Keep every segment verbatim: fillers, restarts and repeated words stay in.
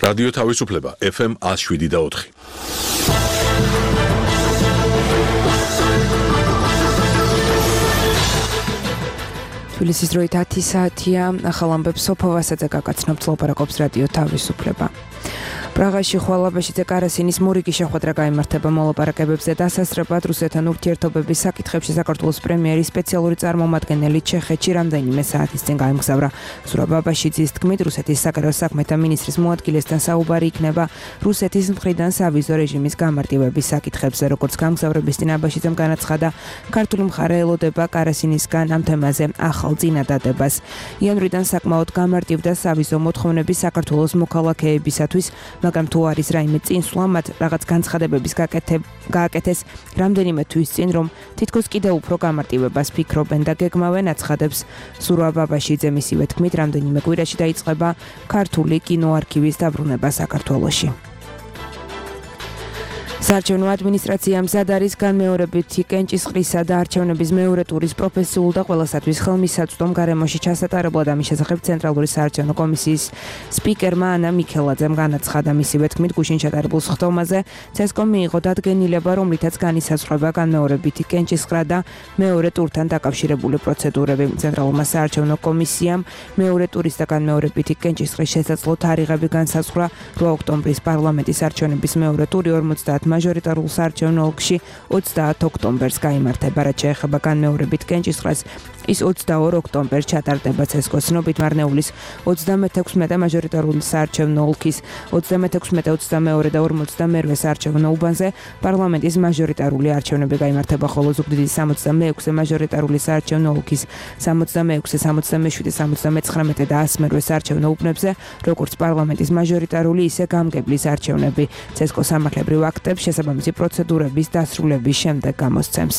რადიო თავისუფლება ეფ ემ one oh seven და four. თბილისის დროით ათი საათია, ახალ ამბებს სოფო ვასაძე გაგაცნობთ, ლაპარაკობს რადიო თავისუფლება. პრაღაში ხვალაბაშიძე კარასინის მორიგი შეხვედრა გაიმართება მოლაპარაკებებზე დასასწრებად რუსეთთან ურთიერთობების საკითხებში საქართველოს პრემიერის სპეციალური წარმომადგენელი ჩეხეთში რამდენიმე საათის წინ გაემგზავრა. ზურაბ ბაბაშიძის თქმით, რუსეთის საგარეო საქმეთა მინისტრის მოადგილესთან საუბარი იქნება რუსეთის მხრიდან სავიზო რეჟიმის გამარტივების საკითხებზე. როგორც გამგზავრების წინ აბაშიძემ განაცხადა, ქართული მხარე ელოდება კარასინისგან ამ თემაზე ახალ წინადადებას. იანვრიდან საკმაოდ გამარტივდა სავიზო მოთხოვნები საქართველოს მოქალაქეებისათვის, მაგრამ თუ არის რაიმე წინსვლა, მათ რაღაც განცხადებების გააკეთეს რამდენიმე თვის წინ, რომ თითქოს კიდევ უფრო გამარტივებას ფიქრობენ და გეგმავენ, აცხადებს ზურაბ ბაბაშიძე. მისივე თქმით, რამდენიმე კვირაში დაიწყება ქართული კინოარქივის დაბრუნება საქართველოში. საარჩევნო ადმინისტრაციამ მზად არის განმეორებითი კენჭისყრისა და არჩევნების მეორე ტურის პროფესიულ და ყველასათვის ხელმისაწვდომ გარემოში ჩასატარებლად ამის შესახებ ცენტრალური საარჩევნო კომისიის სპიკერმა ანა მიქელაძემ განაცხადა. მისივე თქმით, გუშინ ჩატარებულ სხდომაზე ცესკომ მიიღო დადგენილება, რომლითაც განისაზღვრება განმეორებითი კენჭისყრა და მეორე ტურთან დაკავშირებული პროცედურები. ცენტრალურმა საარჩევნო კომისიამ მეორე ტურის და განმეორებითი კენჭისყრის შესაძლო თარიღები განსაზღვრა რვა ოქტომბრის პარლამენტის არჩევნების მეორე ტური ორმოცდაათ მაჟორიტარულ საარჩევნო ოლქში ოცდაათ ოქტომბერს გაიმართება. რაც შეეხება განმეორებით კენჭისყრას, ის ოცდაორ ოქტომბერს ჩატარდება ცესკოს ცნობით. მარნეულის ოცდამეთექვსმეტე მაჟორიტარული საარჩევნო ოლქის ოცდამეთექვსმეტე, ოცდამეორე და ორმოცდამერვე საარჩევნო უბანზე პარლამენტის მაჟორიტარული არჩევნები გაიმართება, ხოლო ზუგდიდის სამოცდამეექვსე მაჟორიტარული საარჩევნო ოლქის სამოცდამეექვსე, სამოცდამეშვიდე, სამოცდამეცხრამეტე და ასმერვე საარჩევნო უბნებზე, როგორც პარლამენტის მაჟორიტარული, ისე გამგებლის არჩევნები. ცესკო სამართლებრივ აქტებს შესაბამისი პროცედურების დასრულების შემდეგ გამოსცემს.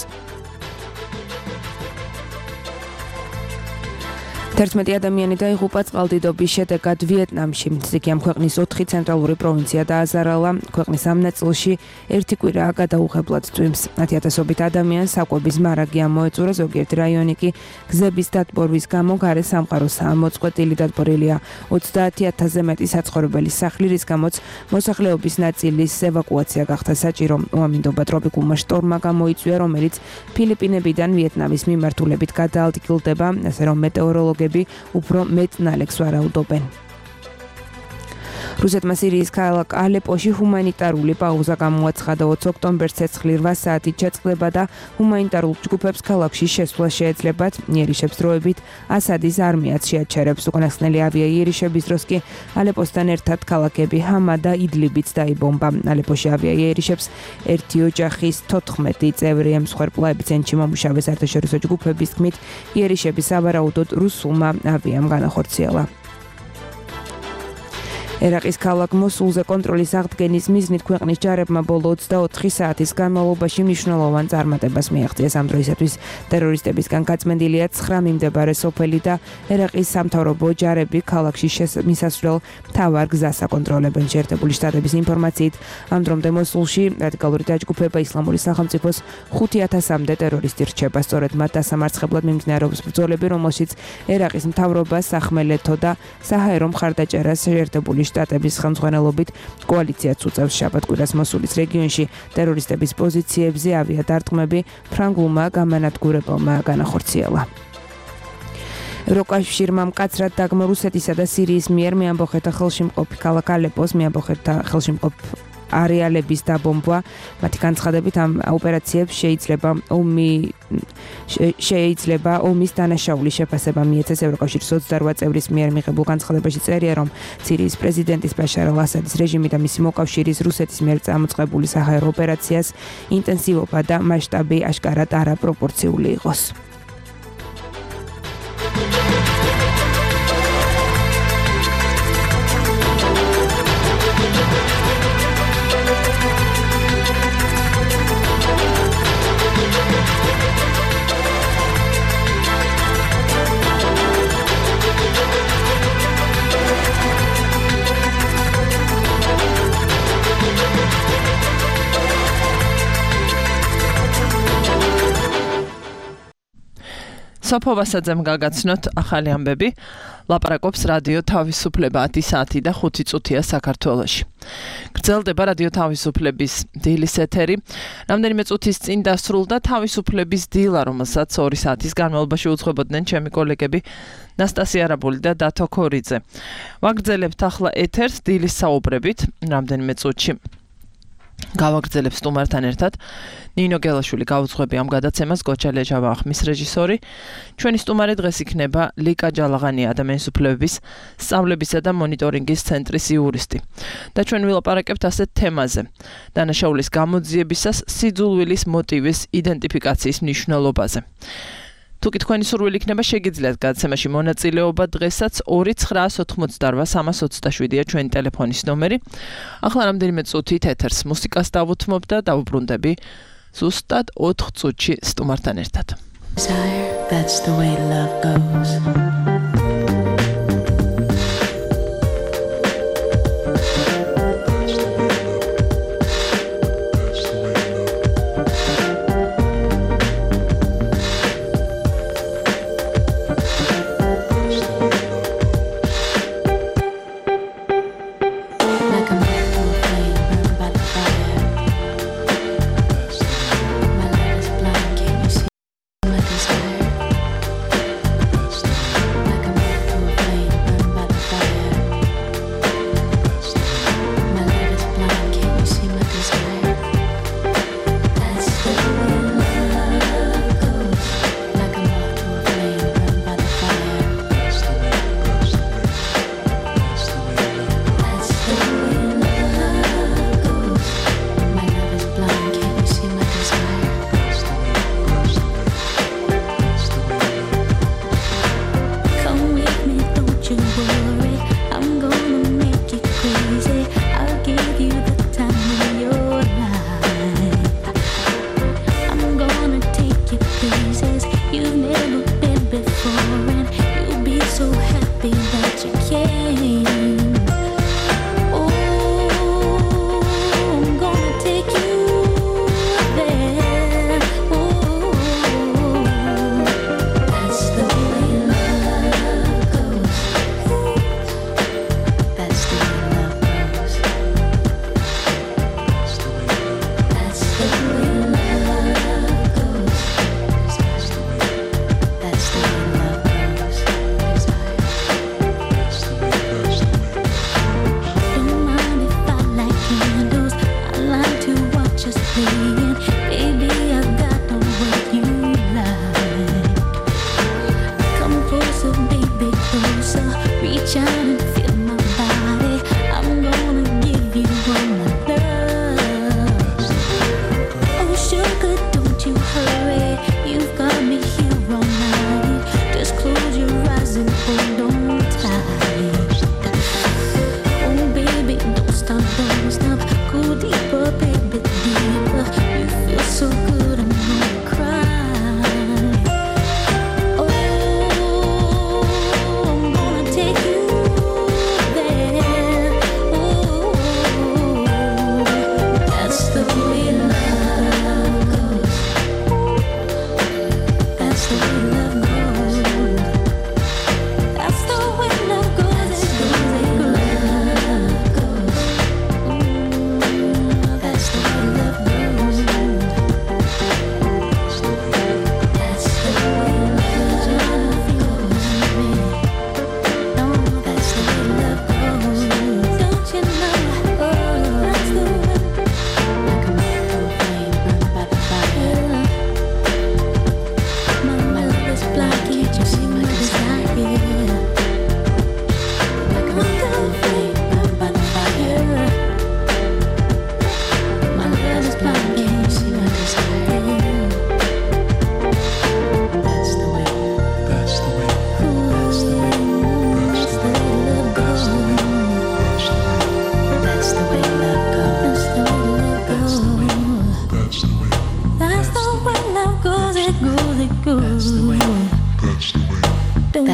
თერთმეტი ადამიანი დაიღუპა წყალდიდობის შედეგად ვიეტნამში. ზიგიამ ქვეყნის ოთხი ცენტრალური პროვინცია დააზარალა. ქვეყნის ამ ნაწილში ერთი კვირაა გადაუღებლად წვიმს. ათი ათასობით ადამიანს საკვების მარაგი ამოეწურა, ზოგიერთი რაიონი კი გზების დატბორვის გამო გარე სამყაროსაა მოწყვეტილი. დატბორილია ოცდაათი ათასზე მეტი საცხოვრებელი სახლი, რის გამოც მოსახლეობის ნაწილის ევაკუაცია გახდა საჭირო. უამინდობა ტროპიკულმა შტორმმა გამოიწვია, რომელიც ფილიპინებიდან ვიეტნამის მიმართულებით გადაადგილდება, ასე რომ მეტეოროლოგები უფრო მეტ ნალექს ვარაუდობენ. რუსეთმა სირიის ქალაქ ალეპოში ჰუმანიტარული პაუზა გამოაცხადა. ოცი ოქტომბერს ცეცხლი რვა საათით შეწყდება და ჰუმანიტარულ ჯგუფებს ქალაქში შესვლა შეეძლებათ. იერიშებს დროებით ასადის არმიაც შეაჩერებს. უკანასკნელი ავიაიერიშების დროს კი ალეპოსთან ერთად ქალაქები ჰამა და იდლიბიც დაიბომბა. ალეპოში ავიაიერიშებს ერთი ოჯახის თოთხმეტი წევრი ემსხვერპლა. ეპიცენტრში მომუშავე საერთაშორისო ჯგუფების თქმით, იერიშები სავარაუდოდ რუსულმა ავიამ განახორციელა. ერაყის ქალაქ მოსულზე კონტროლის აღდგენის მიზნით ქვეყნის ჯარებმა ბოლო ოცდაოთხი საათის განმავლობაში მნიშვნელოვან წარმატებას მიაღწიეს. ამ დროისათვის ტერორისტებისგან გაწმენდილია ცხრა მიმდებარე სოფელი და ერაყის სამთავრობო ჯარები ქალაქში მისასვლელ მთავარ გზას აკონტროლებენ. შეერთებული შტატების ინფორმაციით, ამ დრომდე მოსულში რადიკალური დაჯგუფება ისლამური სახელმწიფოს ხუთი ათასამდე ტერორისტი რჩება. სწორედ მათ დასამარცხებლად მიმდინარეობს ბრძოლები, რომელშიც ერაყის მთავრობა, სახმელეთო და საჰაერო მხარდაჭერას შეერთებული შტატების ხელმძღვანელობით კოალიციაც უწევს. შაბათ-კვირას მოსულის რეგიონში ტერორისტების პოზიციებზე ავიადარტყმები ფრანგულმა გამანადგურებელმა განახორციელა. ევროკავშირმა მკაცრად დაგმო რუსეთისა და სირიის მიერ მეამბოხეთა ხელში მყოფი ქალაქ ალეპოს მეამბოხეთა ხელში მყოფ არეალების დაბომბვა. მათი განცხადებით, ამ ოპერაციებს შეიძლება ომი შეიძლება ომის დანაშაულის შეფასება მიეცეს. ევროკავშირის ოცდარვა წევრის მიერ მიღებულ განცხადებაში წერია, რომ სირიის პრეზიდენტის ბაშარ ალ-ასადის რეჟიმი და მისი მოკავშირის რუსეთის მიერ წამოწყებული საჰაერო ოპერაციას ინტენსივობა და მასშტაბი აშკარად არაპროპორციული იყოს. სოფო ვასაძემ გაგაცნოთ ახალი ამბები. ლაპარაკობს რადიო თავისუფლება ათი საათი და ხუთი წუთია საქართველოში. გრძელდება რადიო თავისუფლების დილის ეთერი. რამდენიმე წუთის წინ დასრულდა თავისუფლების დილა, რომელსაც ორი საათის განმავლობაში უძღვებოდნენ ჩემი კოლეგები ნასტასია არაბული და დათო ქორიძე. ვაგრძელებთ ახლა ეთერს დილის საუბრებით, რამდენიმე წუთში. გავაგრძელებ სტუმართან ერთად. ნინო გელაშვილი გაუძღვები ამ გადაცემას, გოჩა ლეჯავა ახმის რეჟისორი. ჩვენი სტუმარი დღეს იქნება ლიკა ჯალაღანია, ადამიანის უფლებების სწავლებისა და მონიტორინგის ცენტრის იურისტი. და ჩვენ ვილაპარაკებთ ასეთ თემაზე. დანაშაულის გამოძიებისას სიძულვილის მოტივის იდენტიფიკაციის მნიშვნელობაზე. თუკი თქვენი სურვილი იქნება, შეგიძლიათ გადაცემაში მონაწილეობა. დღესაც ორი ცხრაას ოთხმოცდაორვა სამას ოცდაშვიდია ჩვენი ტელეფონის ნომერი. ახლა რამდენიმე წუთით ეთერს მუსიკას დავუთმობ და დავუბრუნდები ზუსტად ოთხ წუთში სტუმართან ერთად. That's the way love goes.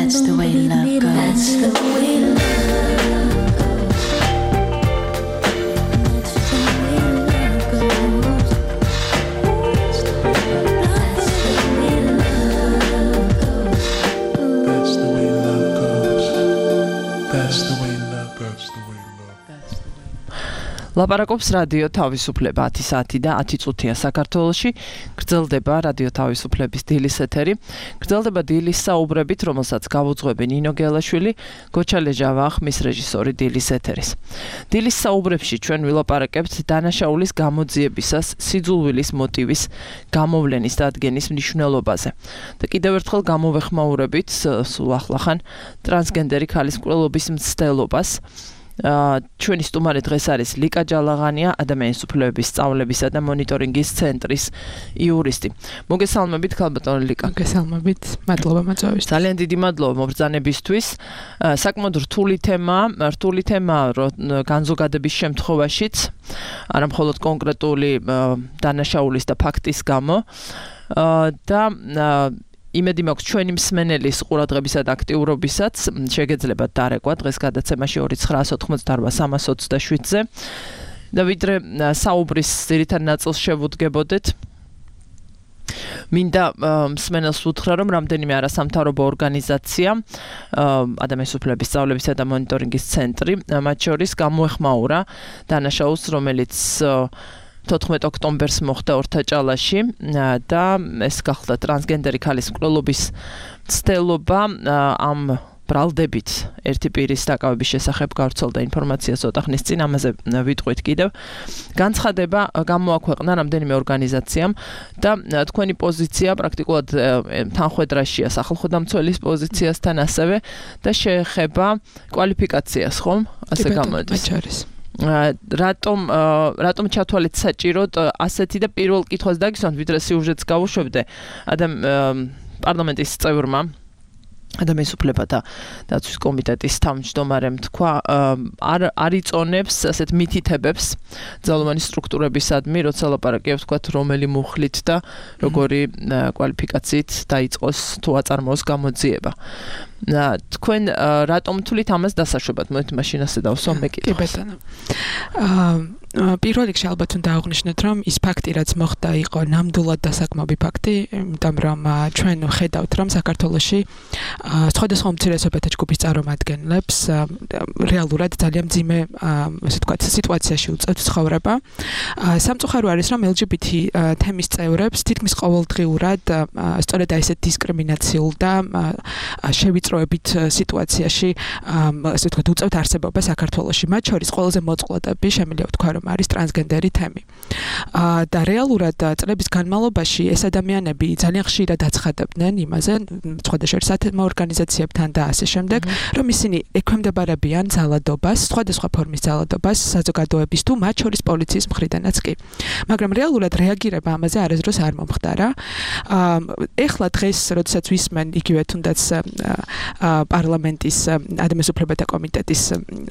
That's the way love goes. That's the way love goes. That's the way love goes. That's the way love goes. ლაპარაკობს რადიო თავისუფლება ათი საათი და ათი წუთია საქართველოში. გრძელდება რადიო თავისუფლების დილის ეთერი. გრძელდება დილის საუბრებით, რომელსაც გავუძღვები ნინო გელაშვილი, გოჩა ლეჟავა, ხმის რეჟისორი დილის ეთერის. დილის საუბრებში ჩვენ ვილაპარაკებთ დანაშაულის გამოძიებისას სიძულვილის მოტივის გამოვლენის და ადგენის მნიშვნელობაზე. და კიდევ ერთხელ გამოვეხმაურებით სულ ახლახან ტრანსგენდერი ქალის მკვლელობის მცდელობას. ჩვენი სტუმარი დღეს არის ლიკა ჯალაღანია, ადამიანის უფლებების სწავლებისა და მონიტორინგის ცენტრის იურისტი. მოგესალმებით, ქალბატონო ლიკა. მოგესალმებით, მადლობა მოწვევისთვის. ძალიან დიდი მადლობა მობრძანებისთვის. საკმაოდ რთული თემა, რთული თემა განზოგადების შემთხვევაშიც, არა მხოლოდ კონკრეტული დანაშაულის და ფაქტის გამო და იმედი მაქვს ჩვენი მსმენელის ყურადღებისა და აქტიურობისაც შეგეძლებათ დარეკვა დღეს გადაცემაში ორი ცხრაას ოთხმოცდაოთხ სამას ოცდაშვიდზე და ვიდრე საუბრის ძირითად ნაწილს შევუდგებოდეთ მინდა მსმენელს უთხრა რომ რამდენიმე არასამთავრობო ორგანიზაცია ადამიანის უფლებების სწავლებისა და მონიტორინგის ცენტრი მათ შორის გამოეხმაურა დანაშაულს რომელიც თოთხმეტ ოქტომბერს მოხდა ორთაჭალაში და ეს გახდა ტრანსგენდერი ქალის მკვლელობის მცდელობა ამ ბრალდებით ერთი პირის დაკავების შესახებ გავრცელდა ინფორმაცია ცოტა ხნის წინ ამაზე ვიტყვით კიდევ განცხადება გამოაქვეყნა რამდენიმე ორგანიზაციამ და თქვენი პოზიცია პრაქტიკულად თანხვედრაშია სახელმწიფოს პოზიციასთან ასევე და შეეხება კვალიფიკაციას ხომ ასე გამოდის რატომ რატომ ჩათვალეთ საჭიროდ ასეთი და პირველ კითხვას დაგისვამთ ვიდრე სიუჟეტს გავუშვებდე ადამ პარლამენტის წევრმა ადამიანის უფლებათა დაცვის კომიტეტის თავმჯდომარემ თქვა არ არ იწონებს ასეთ მითითებებს ძალოვანი სტრუქტურებისადმი როცა ლაპარაკობს თქვა რომელი მუხლით და როგორი კვალიფიკაციით დაიწყოს თუ აწარმოოს გამოძიება თქვენ რატომ თulit ამას დასაშვებად მოით მაშინ ასე დავსვამ მე კითხავს კი ბატონო აა პირველ რიგში ალბათ უნდა აღვნიშნოთ რომ ის ფაქტი რაც მოხდა იყო ნამდვილად დასაკმაობი ფაქტი იმიტომ რომ ჩვენ ხედავთ რომ საქართველოში სხვადასხვა უმცირესობათა ჯგუფის წარმომადგენლებს რეალურად ძალიან მძიმე ასე ვთქვათ სიტუაციაში უწევთ ცხოვრება სამწუხარო არის რომ ელ ჯი ბი თი თემის წევრებს თითქმის ყოველდღიურად სწორედ აი ესეთ დისკრიმინაციულ და შევიწროებით სიტუაციაში ასე ვთქვათ უწევთ არსებობა საქართველოში მათ შორის ყველაზე მოწყვლადები შემიძლია ვთქვა რომ არის ტრანსგენდერი თემი. და რეალურად წლების განმავლობაში ეს ადამიანები ძალიან ხშირად აცხადებდნენ იმაზე, სხვადასხვა სათემო ორგანიზაციებთან და ასე შემდეგ, რომ ისინი ექვემდებარებიან ძალადობას, სხვადასხვა ფორმის ძალადობას საზოგადოების თუ მათ შორის პოლიციის მხრიდანაც კი. მაგრამ რეალურად რეაგირება ამაზე არასდროს არ მომხდარა. ეხლა დღეს, როდესაც ვისმენ იგივე თუნდაც პარლამენტის ადამიანის უფლებათა კომიტეტის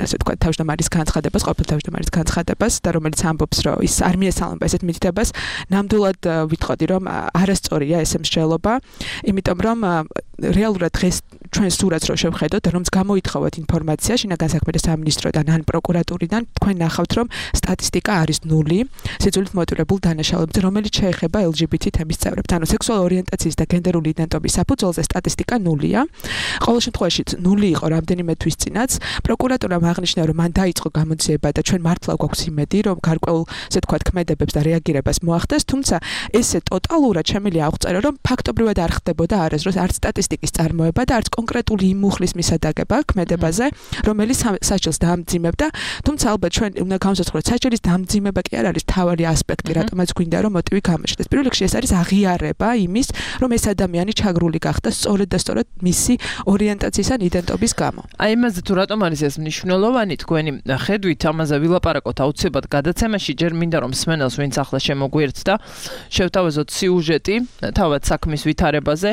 ასე ვთქვათ თავმჯდომარის განცხადებას, ყოფილი თავმჯდომარის განცხადებას და რომელიც ამბობს რომ ის არ მიესალმება ესეთ მითითებას ნამდვილად ვიტყოდი რომ არასწორია ეს მსჯელობა იმიტომ რომ რეალურად დღეს ჩვენ სურათს რო შევხედოთ რომც გამოითხოვოთ ინფორმაცია შინაგან საქმეთა სამინისტროდან ან პროკურატურიდან თქვენ ნახავთ რომ სტატისტიკა არის ნული სიძულით მოტივირებულ დანაშაულებებზე რომელიც შეეხება ელ ჯი ბი თი თემის წევრებს ანუ სექსუალური ორიენტაციის და გენდერული იდენტობის საფუძველზე სტატისტიკა ნულია ყოველ შემთხვევაში ნული იყო რამდენიმე თვის წინაც პროკურატურამ აღნიშნა რომ მან დაიწყო გამოძიება და ჩვენ მართლა გვაქვს იმედი რომ გარკვეულ ასე ვთქვათ ქმედებებს და რეაგირებას მოახდეს თუმცა ესე ტოტალურად შემიძლია აღწერო რომ ფაქტობრივად არ ხდებოდა არასდროს არც სტატისტიკის წარმოება და არც კონკრეტული იმ მუხლის მისადაგება ქმედებაზე რომელიც საჭილს დაამძიმებდა თუმცა ალბათ ჩვენ უნდა განსაზღვროთ საჭილის დამძიმება კი არ არის თავარი ასპექტი რატომაც გვინდა რომ მოტივი გამოჩნდეს პირველ რიგში ეს არის აღიარება იმის რომ ეს ადამიანი ჩაგრული გახდა სწორედ და სწორედ მისი ორიენტაციის ან იდენტობის გამო აი იმაზე თუ რატომ არის ეს მნიშვნელოვანი თქვენი ხედვით ამაზე ვილაპარაკოთ აუცილებლად გადაცემაში ჯერ მინდა რომ მსმენელს ვინც ახლა შემოგვიერთდა შევთავაზოთ სიუჟეტი თავად საქმის ვითარებაზე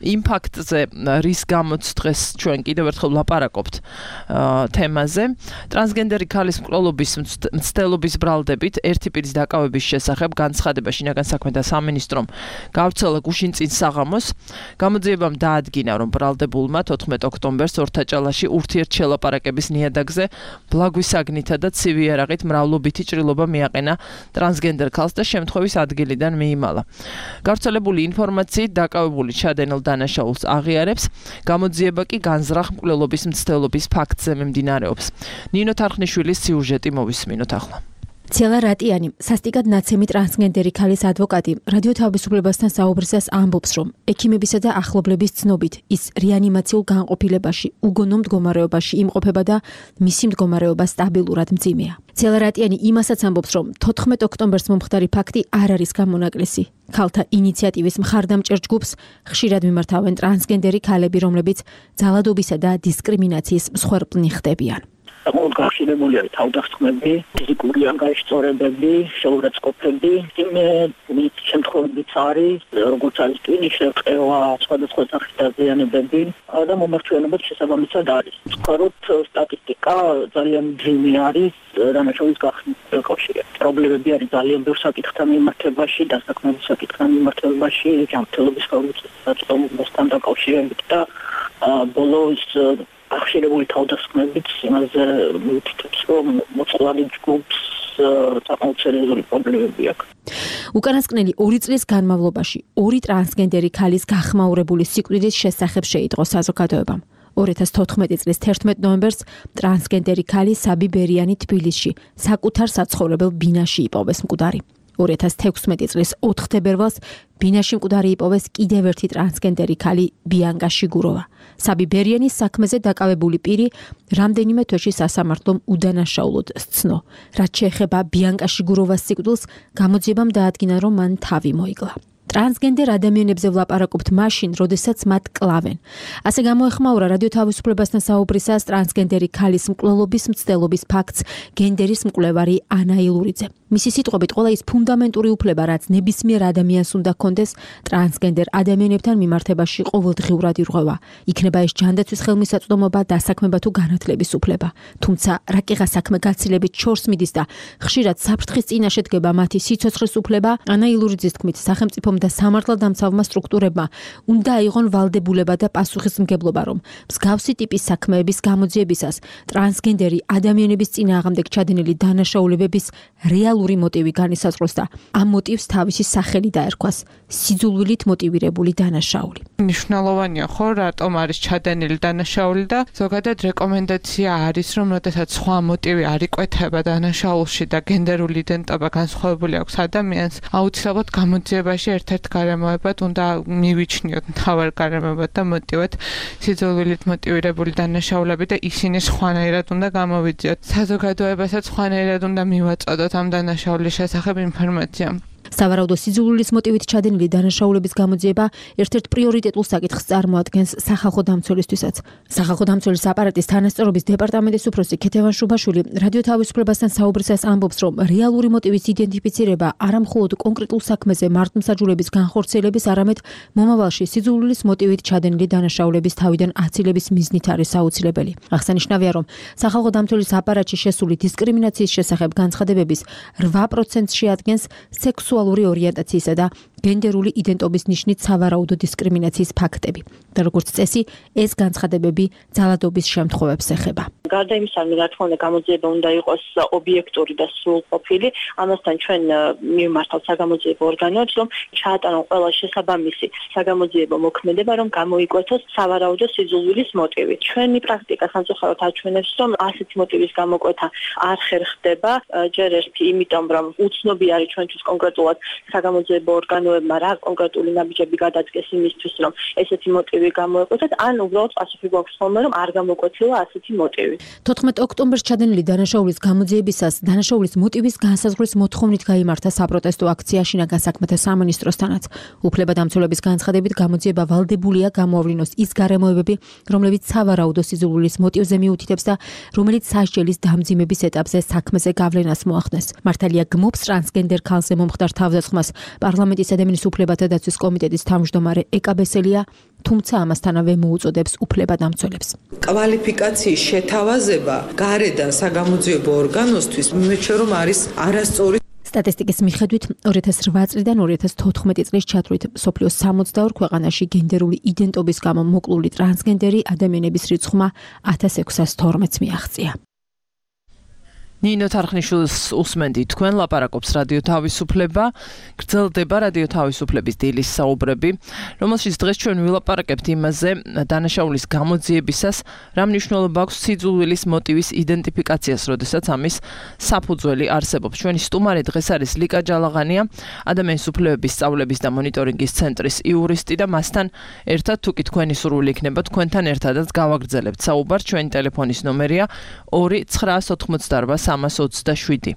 იმ ფაქტზე რის გამოც დღეს ჩვენ კიდევ ერთხელ ვლაპარაკობთ თემაზე ტრანსგენდერი ქალის მკვლელობის მცდელობის ბრალდებით ერთი პირის დაკავების შესახებ განცხადება შინაგან საქმეთა სამინისტრომ გავრცელა გუშინ წინ საღამოს გამოძიებამ დაადგინა რომ ბრალდებულმა თოთხმეტ ოქტომბერს ორთაჭალაში ურთიერთშელაპარაკების ნიადაგზე ბლაგვისაგნითა და ცივი იარაღით მრავლობითი ჭრილობა მიაყენა ტრანსგენდერ ქალს და შემთხვევის ადგილიდან მიიმალა. გავრცელებული ინფორმაციით დაკავებული ჩადენილ დანაშაულს აღიარებს, გამოძიება კი განზრახ მკვლელობის მცდელობის ფაქტზე მიმდინარეობს. ნინო თარხნიშვილის სიუჟეტი მოვისმინოთ ახლა. ცელა რატიანი, სასტიკად ნაცემი ტრანსგენდერი ქალის ადვოკატი, რადიო თავისუფლებასთან საუბრისას ამბობს, რომ ექიმებისა და ახლობლების ცნობით ის რეანიმაციულ განყოფილებაში, უგონო მდგომარეობაში იმყოფება და მისი მდგომარეობა სტაბილურად მძიმეა. ცელა რატიანი იმასაც ამბობს, რომ თოთხმეტ ოქტომბერს მომხდარი ფაქტი არ არის გამონაკლისი. ქალთა ინიციატივის მხარდამჭერ ჯგუფს ხშირად მიმართავენ ტრანსგენდერი ქალები, რომლებიც ძალადობისა და დისკრიმინაციის მსხვერპლნი ხდებიან. საკმაოდ გახსნებული არის თავდასხმები, ფიზიკური ანგარიშწორებები, შეურაცხყოფები, იმ შემთხვევებიც არის, როგორც არის ტვინის შევყევა, სხვადასხვა სახის დაზიანებები და მომართვენებაც შესაბამისად არის. ვთქვათ, სტატისტიკა ძალიან ძიმე არის დანაშაულის გახსნის კავშირით. პრობლემები არის ძალიან ბევრ საკითხთან მიმართებაში, დასაქმების საკითხთან მიმართებაში, ჯანმრთელობის ხელმისაწვდომასთან დაკავშირებით და ბოლოს ახშირებული თავდასხმებით იმაზე მივთითებს, რომ მოწყვლადი ჯგუფს საკმაოდ სერიოზული პრობლემები აქვს. უკანასკნელი ორი წლის განმავლობაში ორი ტრანსგენდერი ქალის გახმაურებული სიკვდილის შესახებ შეიტყო საზოგადოებამ. ორი ათას თოთხმეტი წლის თერთმეტ ნოემბერს ტრანსგენდერი ქალი საბი ბერიანი თბილისში საკუთარ საცხოვრებელ ბინაში იპოვეს მკვდარი. ორი ათას თექვსმეტი წლის ოთხ თებერვალს ბინაში მკვდარი იპოვეს კიდევ ერთი ტრანსგენდერი ქალი ბიანკა შიგუროვა. საბი ბერიანის საქმეზე დაკავებული პირი რამდენიმე თვეში სასამართლომ უდანაშაულოდ სცნო. რაც შეეხება ბიანკა შიგუროვას სიკვდილს, გამოძიებამ დაადგინა, რომ მან თავი მოიკლა. ტრანსგენდერ ადამიანებზე ვლაპარაკობთ მაშინ, როდესაც მათ კლავენ. ასე გამოეხმაურა რადიო თავისუფლებასთან საუბრისას ტრანსგენდერი ქალის მკვლელობის მცდელობის ფაქტს გენდერის მკვლევარი ანა ილურიძე. მისი სიტყვებით, ყველა ის ფუნდამენტური უფლება, რაც ნებისმიერ ადამიანს უნდა ჰქონდეს, ტრანსგენდერ ადამიანებთან მიმართებაში ყოველდღიურად ირღვევა. იქნება ეს ჯანდაცვის ხელმისაწვდომობა, დასაქმება თუ განათლების უფლება. თუმცა რაკიღა საქმე გაცილებით შორს მიდის და ხშირად საფრთხის წინაშე დგება მათი სიცოცხლის უფლება, ანა ილურიძის თქმით, სახელმწიფომ და სამართალდამცავმა სტრუქტურებმა უნდა აიღონ ვალდებულება და პასუხისმგებლობა, რომ მსგავსი ტიპის საქმეების გამოძიებისას ტრანსგენდერი ადამიანების წინააღმდეგ ჩადენილი დანაშაულებების რეალური მოტივი განისაზღვროს და ამ მოტივს თავისი სახელი დაერქვას სიძულვილით მოტივირებული დანაშაული. მნიშვნელოვანია ხო, რატომ არის ჩადენილი დანაშაული და ზოგადად რეკომენდაცია არის, რომ როდესაც სხვა მოტივი არ იკვეთება დანაშაულში და გენდერული იდენტობა განსხვავებული აქვს ადამიანს, აუცილებლად გამოძიებაში ერთ-ერთ გარემოებად უნდა მივიჩნიოთ მთავარ გარემოებად და მოტივად სიძულვილით მოტივირებული დანაშაულები და ისინი სხვანაირად უნდა გამოვიძიოთ. საზოგადოებასაც სხვანაირად უნდა მივაწოდოთ ამ დანაშაულის შესახებ ინფორმაცია. სავარაუდო სიძულვილის მოტივით ჩადენილი დანაშაულების გამოძიება ერთ-ერთ პრიორიტეტულ საკითხს წარმოადგენს სახალხო დამცველისთვისაც. სახალხო დამცველის აპარატის თანასწორობის დეპარტამენტის უფროსი ქეთევან შუბაშვილი რადიო თავისუფლებასთან საუბრისას ამბობს, რომ რეალური მოტივის იდენტიფიცირება არა მხოლოდ კონკრეტულ საქმეზე მართლმსაჯულების განხორციელების, არამედ მომავალში სიძულვილის მოტივით ჩადენილი დანაშაულების თავიდან აცილების მიზნით არის აუცილებელი. აღსანიშნავია, რომ სახალხო დამცველის აპარატში შესული დისკრიმინაციის შესახებ განცხადებების რვა პროცენტს შეადგენს სექსუალური ორიენტაციისა და გენდერული იდენტობის ნიშნით სავარაუდო დისკრიმინაციის ფაქტები. და როგორც წესი, ეს განცხადებები ძალადობის შემთხვევებს ეხება. გარდა იმისა, რომ რა თქმა უნდა გამოძიება უნდა იყოს ობიექტური და სრულყოფილი, ამასთან ჩვენ მივმართავთ საგამოძიებო ორგანოებს, რომ ჩაატარონ ყველა შესაბამისი საგამოძიებო მოქმედება, რომ გამოიკვეთოს სავარაუდო სიძულვილის მოტივი. ჩვენი პრაქტიკა სამწუხაროდ აჩვენებს, რომ ასეთი მოტივის გამოკვეთა არ ხერხდება, ჯერ ერთი იმიტომ, რომ უცნობი არის ჩვენთვის კონკრეტულად საგამოძიებო ორგანოებმა რა კონკრეტული ნაბიჯები გადაწყვეს იმისთვის, რომ ესეთი მოტივი გამოეკვეთათ, ან უბრალოდ პასუხი გვაქვს ხოლმე, რომ არ გამოკვეთილა ასეთი მოტივი. თოთხმეტ ოქტომბერს ჩადენილი დანაშაულის გამოძიებისას დანაშაულის მოტივის განსაზღვრის მოთხოვნით გაიმართა საპროტესტო აქცია შინაგან საქმეთა სამინისტროსთანაც. უფლებადამცველების განცხადებით გამოძიება ვალდებულია გამოავლინოს ის გარემოებები, რომლებიც სავარაუდო სიძულვილის მოტივზე მიუთითებს და რომელიც სასჯელის დამძიმების ეტაპზე საქმეზე გავლენას მოახდენს. მართალია გმობს ტრანსგენდერ ქალზე მომხდარ თავდასხმას პარლამენტის ადამიანის უფლებათა დაცვის კომიტეტის თავმჯდომარე ეკა ბესელია, თუმცა ამასთანავე მოუწოდებს უფლებადამცველებს. კვალიფიკაციის შეთავაზება გარედან საგამოძიებო ორგანოსთვის მიმეჩნია, რომ არის არასწორი. სტატისტიკის მიხედვით ორი ათას რვა წლიდან ორი ათას თოთხმეტი წლის ჩათვლით მსოფლიოს სამოცდაორ ქვეყანაში გენდერული იდენტობის გამო მოკლული ტრანსგენდერი ადამიანების რიცხვმა ათას ექვსას თორმეტს მიაღწია. ნინო თარხნიშვილს უსმენდი თქვენ ლაპარაკობს რადიო თავისუფლება, გრძელდება რადიო თავისუფლების დილის საუბრები, რომელშიც დღეს ჩვენ ვილაპარაკებთ იმაზე დანაშაულის გამოძიებისას რა მნიშვნელობა აქვს სიძულვილის მოტივის იდენტიფიკაციას, როდესაც ამის საფუძველი არსებობს. ჩვენი სტუმარი დღეს არის ლიკა ჯალაღანია, ადამიანის უფლებების სწავლების და მონიტორინგის ცენტრის იურისტი და მასთან ერთად თუ კი თქვენი სურვილი იქნება თქვენთან ერთადაც გავაგრძელებთ საუბარს. ჩვენი ტელეფონის ნომერია ორი ცხრაას ოთხმოცდაარბა სამას ოცდაშვიდი.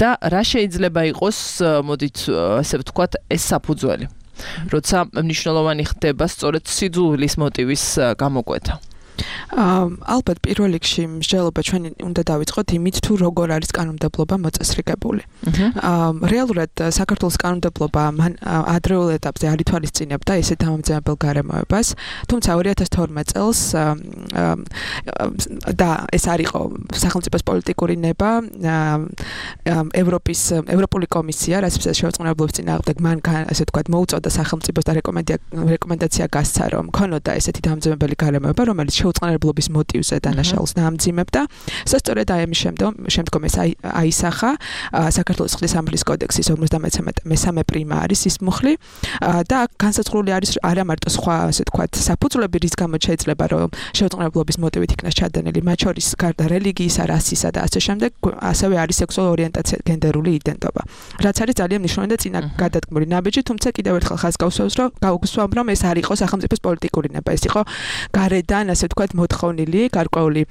და რა შეიძლება იყოს, მოდით ასე ვთქვათ, ეს საფუძველი, როცა მნიშვნელოვანი ხდება სწორედ სიძულვილის მოტივის გამოკვეთა. ალბათ პირველ რიგში მსჯელობა ჩვენი უნდა დავიწყოთ იმით, თუ როგორ არის კანონმდებლობა მოწესრიგებული. რეალურად საქართველოს კანონმდებლობა მან ადრეულ ეტაპზე არ ითვალისწინებდა ესეთ დამამძიმებელ გარემოებას, თუმცა ორი ათას თორმეტ წელს და ეს არ იყო სახელმწიფოს პოლიტიკური ნება, ევროპის ევროპული კომისია რასიფსის შევწყნებლობის წინააღმდეგ მან ასე ვთქვათ მოუწოდა სახელმწიფოს და რეკომენდაცია გასცა, რომ ქონოდა ესეთი დამამძიმებელი გარემოება, რომელიც შეუწყნებლობის მოტივზე დანაშაულს დაამძიმებდა. სწორედ აი ამის შემდგომ ეს აისახა საქართველოს ხლის სამართლის კოდექსის ორმოცდამესამე პრიმა არის ის მუხლი და განსაზღვრული არის არა მარტო სხვა ასე ვთქვათ საფუძვლები, რის გამოც შეიძლება რომ შეუწყნებლობის მოტივით იქნას ჩადენილი, მათ შორის გარდა რელიგიისა, რასისა და ასე შემდეგ, ასევე არის სექსუალური ორიენტაცია, გენდერული იდენტობა. რაც არის ძალიან მნიშვნელოვანი და წინა გადადგმული ნაბიჯი, თუმცა კიდევ ერთხელ ხაზს გავუსვამს, რომ გავუსვამ, რომ ეს არ იყო სახელმწიფოს პოლიტიკური ნება, ეს იყო გარედან ასე ვთქვათ მოთხოვნილი, გარკვეული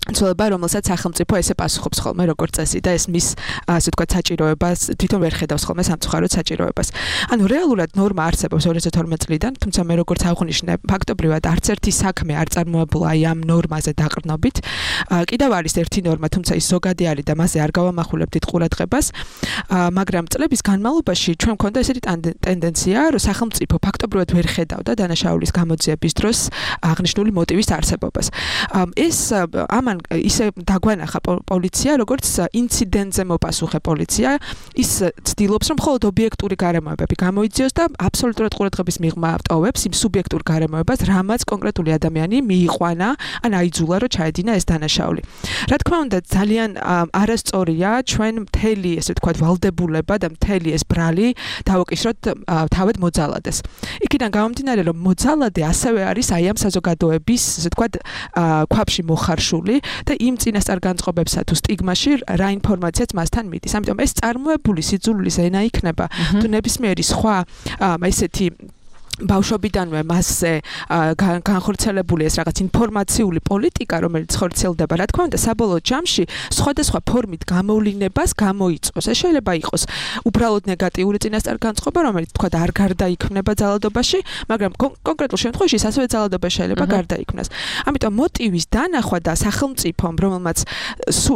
ცოლობა, რომელსაც სახელმწიფო ესე პასუხობს ხოლმე როგორც წესი და ეს მის ასე ვთქვათ საჭიროებას თვითონ ვერ ხედავს ხოლმე სამწუხაროდ საჭიროებას. ანუ რეალურად ნორმა არსებობს ორი ათას თორმეტ წლიდან, თუმცა მე როგორც აღვნიშნე, ფაქტობრივად არც ერთი საქმე არ წარმოებულა აი ამ ნორმაზე დაყრდნობით. კიდევ არის ერთი ნორმა, თუმცა ის ზოგადი არის და მასზე არ გავამახვილებდით ყურადღებას, მაგრამ წლების განმავლობაში ჩვენ მქონდა ესეთი ტენდენცია, რომ სახელმწიფო ფაქტობრივად ვერ ხედავდა დანაშაულის გამოძიების დროს აღნიშნული მოტივის არსებობას. ეს ამან ისე დაგვანახა პოლიცია, როგორც ინციდენტზე მოპასუხე პოლიცია, ის ცდილობს, რომ მხოლოდ ობიექტური გარემოებები გამოიძიოს და აბსოლუტურად ყურადღების მიღმა ტოვებს იმ სუბიექტურ გარემოებას, რამაც კონკრეტული ადამიანი მიიყვანა, ან აიძულა, რომ ჩაედინა ეს დანაშაული. რა თქმა უნდა, ძალიან არასწორია ჩვენ მთელი, ესე ვთქვათ, ვალდებულება და მთელი ეს ბრალი დავოკისროთ თავად მოძალადეს. იქიდან გამომდინარე, რომ მოძალადე ასევე არის აი ამ საზოგადოების, ესე ვთქვათ, ქვაბში მოხარშული და იმ წინასწარ განწყობებსა თუ სტიგმაში რა ინფორმაციაც მასთან მიდის. ამიტომ ეს წარმოებული სიძულვილის ენა იქნება თუ ნებისმიერი სხვა ესეთი ბავშვობიდანვე მასზე განხორციელებული ეს რაღაც ინფორმაციული პოლიტიკა, რომელიც ხორციელდება, რა თქმა უნდა, საბოლოო ჯამში სხვადასხვა ფორმით გამოვლინებას გამოიწვევს. ეს შეიძლება იყოს უბრალოდ ნეგატიური წინასწარ განწყობა, რომელიც თქვა არ გარდაიქმნება ძალადობაში, მაგრამ კონკრეტულ შემთხვევაში ის ასევე ძალადობა შეიძლება გარდაიქმნას. ამიტომ მოტივის დანახვა და სახელმწიფომ, რომელმაც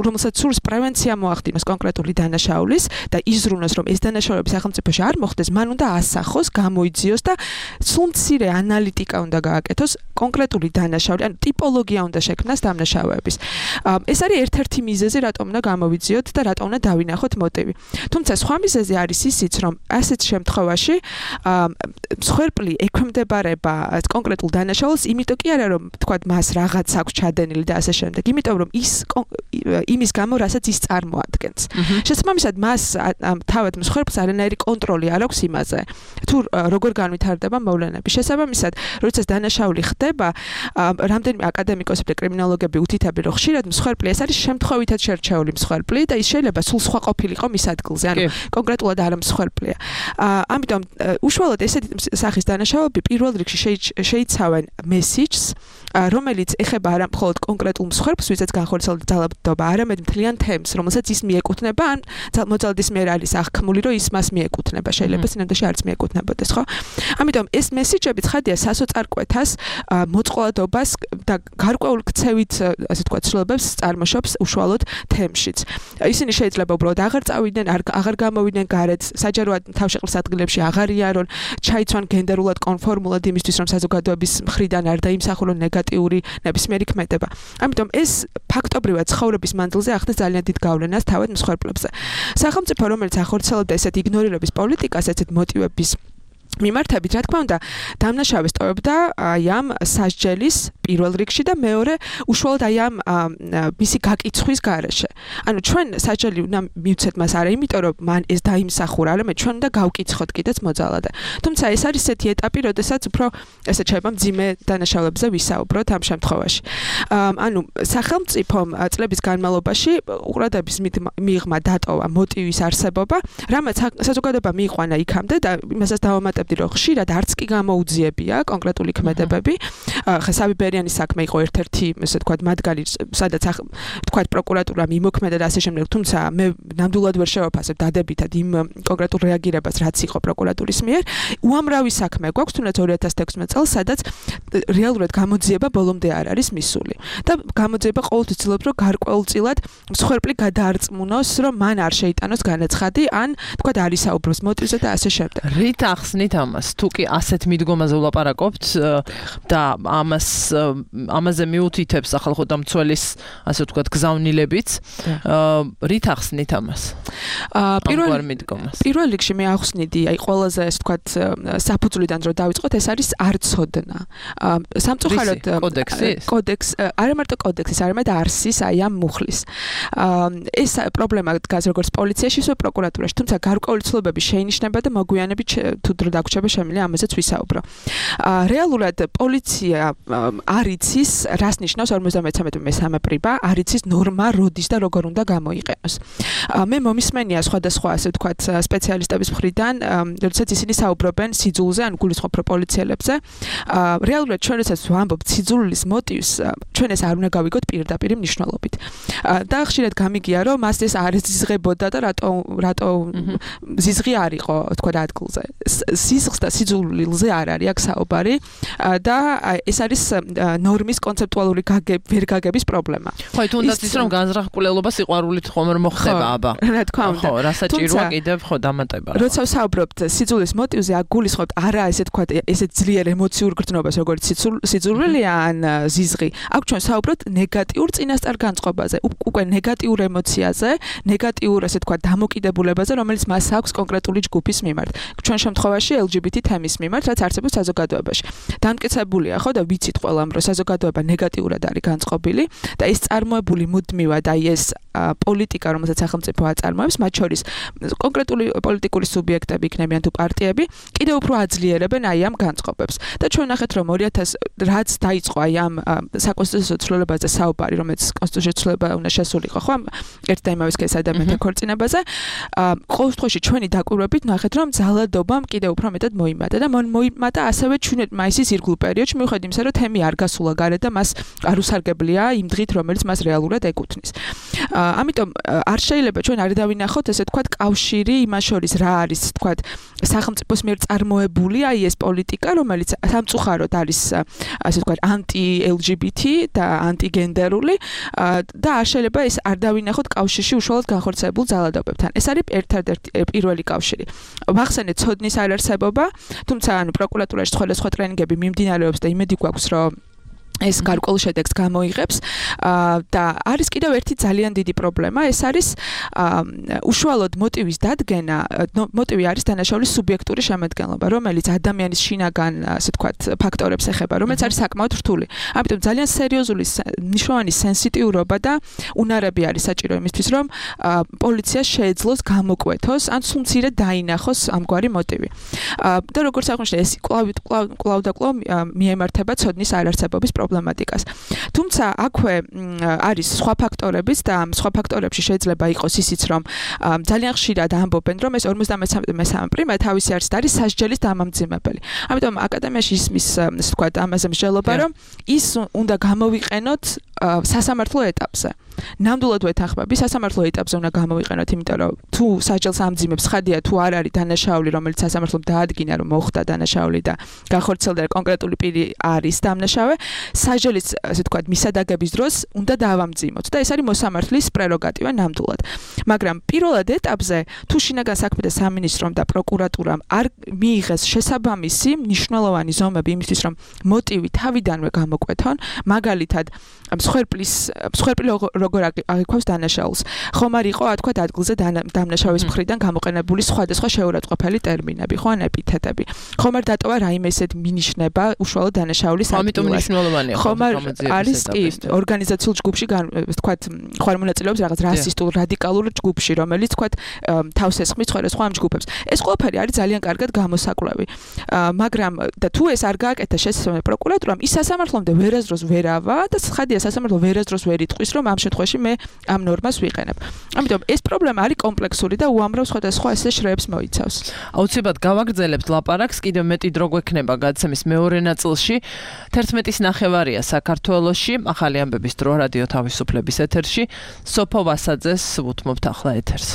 რომელსაც სურს პრევენცია მოახდინოს კონკრეტული დანაშაულის და იზრუნოს, რომ ეს დანაშაულები სახელმწიფოში არ მოხდეს, მან უნდა ასახოს, გამოიძიოს და სულ მცირე ანალიტიკა უნდა გააკეთოს კონკრეტული დანაშაული, ანუ ტიპოლოგია უნდა შექმნას დამნაშავეების. ეს არის ერთ-ერთი მიზეზი, რატომ უნდა გამოვიძიოთ და რატომ უნდა დავინახოთ მოტივი. თუმცა სხვა მიზეზი არის ისიც, რომ ასეთ შემთხვევაში მსხვერპლი ექვემდებარება კონკრეტულ დანაშაულს, იმიტომ კი არა, რომ თქვათ მას რაღაც აქვს ჩადენილი და ასე შემდეგ, იმიტომ რომ ის იმის გამო, რასაც ის წარმოადგენს. შესაბამისად, მას თავად მსხვერპლს არანაირი კონტროლი არ აქვს იმაზე, თუ როგორ განვითარდება მოვლენები. შესაბამისად, როდესაც დანაშაული ხდება, რამდენიმე აკადემიკოსები და კრიმინოლოგები უთითებენ, რომ ხშირად მსხვერპლი ეს არის შემთხვევითად შერჩეული მსხვერპლი და ის შეიძლება სულ სხვა ყოფილიყო მის ადგილზე, ანუ კონკრეტულად არ მსხვერპლია. ამიტომ უშუალოდ ესეთი სახის დანაშაულები პირველ რიგში შეიცავენ მესიჯს, რომელიც ეხება არა მხოლოდ კონკრეტულ მსხვერპლს, ვისაც განხორციელდა ძალადობა, არამედ მთლიან თემს, რომელსაც ის მიეკუთვნება, ან მოძალადის მიერ არის აღქმული, რომ ის მას მიეკუთვნება. შეიძლება სინამდვილეში არც მიეკუთვნებოდეს, ხო? ამიტომ ეს მესიჯები ცხადია სასოწარკვეთას, მოწყვლადობას და გარკვეულ ქცევით, ასე ვთქვათ, ცვლილებებს წარმოშობს უშუალოდ თემშიც. ისინი შეიძლება უბრალოდ აღარ წავიდნენ, აღარ გამოვიდნენ გარეთ, საჯაროდ თავშეყრის ადგილებში აღარ იარონ, ჩაიცვან გენდერულად კონფორმულად იმისთვის, რომ საზოგადოების მხრიდან არ დაიმსახურონ ნეგატიური ნებისმიერი ქმედება. ამიტომ ეს ფაქტობრივად ცხოვრების მანძილზე ახდენს ძალიან დიდ გავლენას თავად მსხვერპლებზე. სახელმწიფო, რომელიც ახორციელებდა ესეთ იგნორირების პოლიტიკას, ესეთ მოტივების მიმართებით, რა თქმა უნდა, დამნაშავეს ტოვებდა აი ამ სასჯელის პირველ რიგში და მეორე უშუალოდ აი ამ მისი გაკიცხვის გარეშე. ანუ ჩვენ სასჯელი უნდა მივცეთ მას არა იმიტომ რომ მან ეს დაიმსახურა, არამედ ჩვენ უნდა გავკიცხოთ კიდეც მოძალადე. თუმცა ეს არის ესეთი ეტაპი, როდესაც უფრო ესე შეიძლება მძიმე დანაშაულებზე ვისაუბროთ ამ შემთხვევაში. ანუ სახელმწიფომ წლების განმავლობაში უყურადღების მიღმა დატოვა მოტივის არსებობა, რამაც საზოგადოება მიიყვანა იქამდე და იმასაც დავამატებდი რომ ხშირად არც კი გამოუძიებია კონკრეტული ქმედებები. ხა საბიბერიანის საქმე იყო ერთ-ერთი, ესე ვთქვათ, მათგანი, სადაც ვთქვათ პროკურატურა მიმოქმედა და ასე შემდეგ, თუმცა მე ნამდვილად ვერ შევაფასებ დადებითად იმ კონკრეტულ რეაგირებას, რაც იყო პროკურატურის მიერ. უამრავი საქმე გვაქვს, თუნდაც ორი ათას თექვსმეტ წელს, სადაც რეალურად გამოძიება ბოლომდე არ არის მისული. და გამოძიება ყოველთვის ცდილობს, რომ გარკვეულწილად მსხვერპლი გადაარწმუნოს, რომ მან არ შეიტანოს განაცხადი, ან ვთქვათ, არის საუბრობს მოტივზე და ასე შემდეგ. რით ახსნით ამას? თუ კი ასეთ მიდგომაზე ვლაპარაკობთ და ამას ამაზე მიუთითებს ახალ ხოდამცველის, ასე ვთქვათ, გზავნილებიც, რით ახსნით ამას? პირველ მიდგომას. პირველ რიგში მე ახსნიდი, აი ყველაზე ასე ვთქვათ, საფუძვლიდან რომ დავიწყოთ, ეს არის არცოდნა. სამწუხაროდ კოდექსის კოდექს არა მარტო კოდექსის, არამედ არსის აი ამ მუხლის. ეს პრობლემა დგას როგორც პოლიციაში, ისე პროკურატურაში, თუმცა გარკვეული ცნობები შეინიშნება და მოგვიანებით თუ დრო დაგვრჩება შემიძლია ამაზეც ვისაუბრო. რეალურად პოლიცია არ იცის, რას ნიშნავს ორმოცდამეცამეტე მესამე პრიბა, არ იცის ნორმა როდის და როგორ უნდა გამოიყენოს. მე მომისმენია სხვადასხვა ასე ვთქვათ სპეციალისტების მხრიდან, როდესაც ისინი საუბრობენ სიძულზე, ან გულისხმობ რო პოლიციელებზე. რეალურად ჩვენ რასაც ვამბობთ სიძულის მოტივს, ჩვენ ეს არ უნდა გავიგოთ პირდაპირ მნიშვნელობით. და ხშირად გამიგია, რომ მას ეს არ ეზიზღებოდა და რატო რატო ზიზღი არ იყო, თქვა ადგილზე. სიზღს და სიძულილზე არ არის აქ საუბარი და ეს არის ნორმის კონცეპტუალური ვერ გაგების პრობლემა. ხო, თუნდაც ის რომ განზრახკვლელობა სიყვარულით ხომ არ მოხდება, აბა. რა თქმა უნდა. ხო, რა საჭიროა კიდევ ხო დამატება. როცა ვსაუბრობთ სიძულის მოტივზე, აქ გულისხმობთ არა ესე თქვა ესე ძლიერ ემოციურ გრძნობას, როგორც სიძულვილია ან ზიზღი. აქ ჩვენ ვსაუბრობთ ნეგატიურ წინასწარ განწყობაზე, უკვე ნეგატიურ ემოციაზე, ნეგატიურ ასე თქვა დამოკიდებულებაზე, რომელიც მას აქვს კონკრეტული ჯგუფის მიმართ. ჩვენ შემთხვევაში ელ ჯი ბი თი თემის მიმართ, რაც არსებობს საზოგადოებაში. დამტკიცებულია ხო და ვიცით ყველამ, რომ საზოგადოება ნეგატიურად არის განწყობილი და ეს წარმოებული მუდმივად აი ეს პოლიტიკა, რომელსაც სახელმწიფო აწარმოებს, მათ შორის კონკრეტული პოლიტიკური სუბიექტები იქნებიან თუ პარტიები, კიდევ უფრო აძლიერებენ აი ამ განწყობებს. და ჩვენ ნახეთ, რომ ორი ათას რაც დაიწყო აი ამ საკონსტიტუციო ცვლილებაზე საუბარი, რომელიც კონსტიტუციის ცვლილება უნდა შესულიყო, ხო? ერთ და იმავე სქესის ადამიანთა ქორწინებაზე. ყოველ შემთხვევაში ჩვენი დაკვირვებით ნახეთ, რომ ძალადობამ კიდევ უფრო მეტად მოიმატა და მოიმატა ასევე ჩვენეთ მაისის ირგვლივ პერიოდში, მიუხედავად იმისა, რომ თემი არ გასულა გარეთ და მას არ უსარგებლია იმ დღით, რომელიც მას რეალურად ეკუთვნის. ამიტომ არ შეიძლება ჩვენ არ დავინახოთ ესე თქვა კავშირი იმას შორის რა არის თქვა სახელმწიფოს მიერ წარმოებული აი ეს პოლიტიკა, რომელიც სამწუხაროდ არის ასე თქვა ანტი ელ ჯი ბი თი და ანტიგენდერული და არ შეიძლება ეს არ დავინახოთ კავშირში უშუალოდ განხორციელებულ ძალადობებთან. ეს არის ერთ-ერთი პირველი კავშირი. ვახსენეთ ცოდნის არარსებობა, თუმცა ანუ პროკურატურაში სხვადასხვა ტრენინგები მიმდინარეობს და იმედი გვაქვს, რომ ეს გარკვეულ შედეგს გამოიღებს და არის კიდევ ერთი ძალიან დიდი პრობლემა, ეს არის უშუალოდ მოტივის დადგენა, მოტივი არის დანაშაულის სუბიექტური შემადგენლობა, რომელიც ადამიანის შინაგან, ასე ვთქვათ, ფაქტორებს ეხება, რომელიც არის საკმაოდ რთული. ამიტომ ძალიან სერიოზული მნიშვნელოვანი სენსიტიურობა და უნარები არის საჭირო იმისთვის, რომ პოლიცია შეეძლოს გამოკვეთოს ან სულ მცირედ დაინახოს ამგვარი მოტივი. და როგორც აღნიშნე, ეს კვლავ კვლავ და კვლავ მიემართება ცოდნის არარსებობის პრობლემატიკას. თუმცა აქვე არის სხვა ფაქტორებიც და სხვა ფაქტორებში შეიძლება იყოს ისიც, რომ ძალიან ხშირად ამბობენ, რომ ეს ორმოცდამესამე პრიმა თავისი არსით არის სასჯელის დამამძიმებელი. ამიტომ აკადემიაში ისმის, ასე ვთქვათ, ამაზე მსჯელობა, რომ ის უნდა გამოვიყენოთ სასამართლო ეტაპზე. ნამდვილად ვეთანხმები, სასამართლო ეტაპზე უნდა გამოვიყენოთ, იმიტომ რომ თუ სასჯელს ამძიმებს, ხადია თუ არ არის დანაშაული, რომელიც სასამართლომ დაადგინა, რომ მოხდა დანაშაული და განხორციელდა კონკრეტული პირი არის დამნაშავე, საჟელის ასე ვთქვათ მისადაგების დროს უნდა დავამძიმოთ და ეს არის მოსამართლის პრეროგატივა ნამდვილად. მაგრამ პირველად ეტაპზე თუ შინაგან საქმეთა სამინისტრომ და პროკურატურამ არ მიიღეს შესაბამისი მნიშვნელოვანი ზომები იმისთვის რომ მოტივი თავიდანვე გამოკვეთონ, მაგალითად მსხვერპლის მსხვერპლი როგორ აღიქვამს დანაშაულს. ხომ არ იყო თქვა ადგილზე დამნაშავის მხრიდან გამოყენებული სხვადასხვა შეურაცხყოფელი ტერმინები, ხო ან ეპითეტები. ხომ არ დატოვა რაიმე ისეთ მინიშნება უშუალოდ დანაშაულის ადგილას. ამიტომ მნიშვნელოვანია ხომ არის კი ორგანიზაციულ ჯგუფში თქვა ხარ მონაწილეობს რაღაც რასისტულ რადიკალურ ჯგუფში, რომელიც თქვა თავს ესხმის სხვადასხვა ამ ჯგუფებს. ეს ყველაფერი არის ძალიან კარგად გამოსაკვლევი. მაგრამ და თუ ეს არ გააკეთა შესაბამისი პროკურატურამ, ის სასამართლომდე ვერასდროს ვერავა და ხადია სასამართლო ვერასდროს ვერ იტყვის, რომ ამ შემთხვევაში მე ამ ნორმას ვიყენებ. ამიტომ ეს პრობლემა არის კომპლექსური და უამრავ სხვადასხვა ესე შრეებს მოიცავს. აუცილებლად გავაგრძელებთ ლაპარაკს, კიდევ მეტი დრო გვექნება გადაცემის მეორე ნაწილში. თერთმეტის ნახევარია საქართველოში, ახალი ამბების დრო რადიო თავისუფლების ეთერში. სოფო ვასაძეს ვუთმობთ ახლა ეთერს.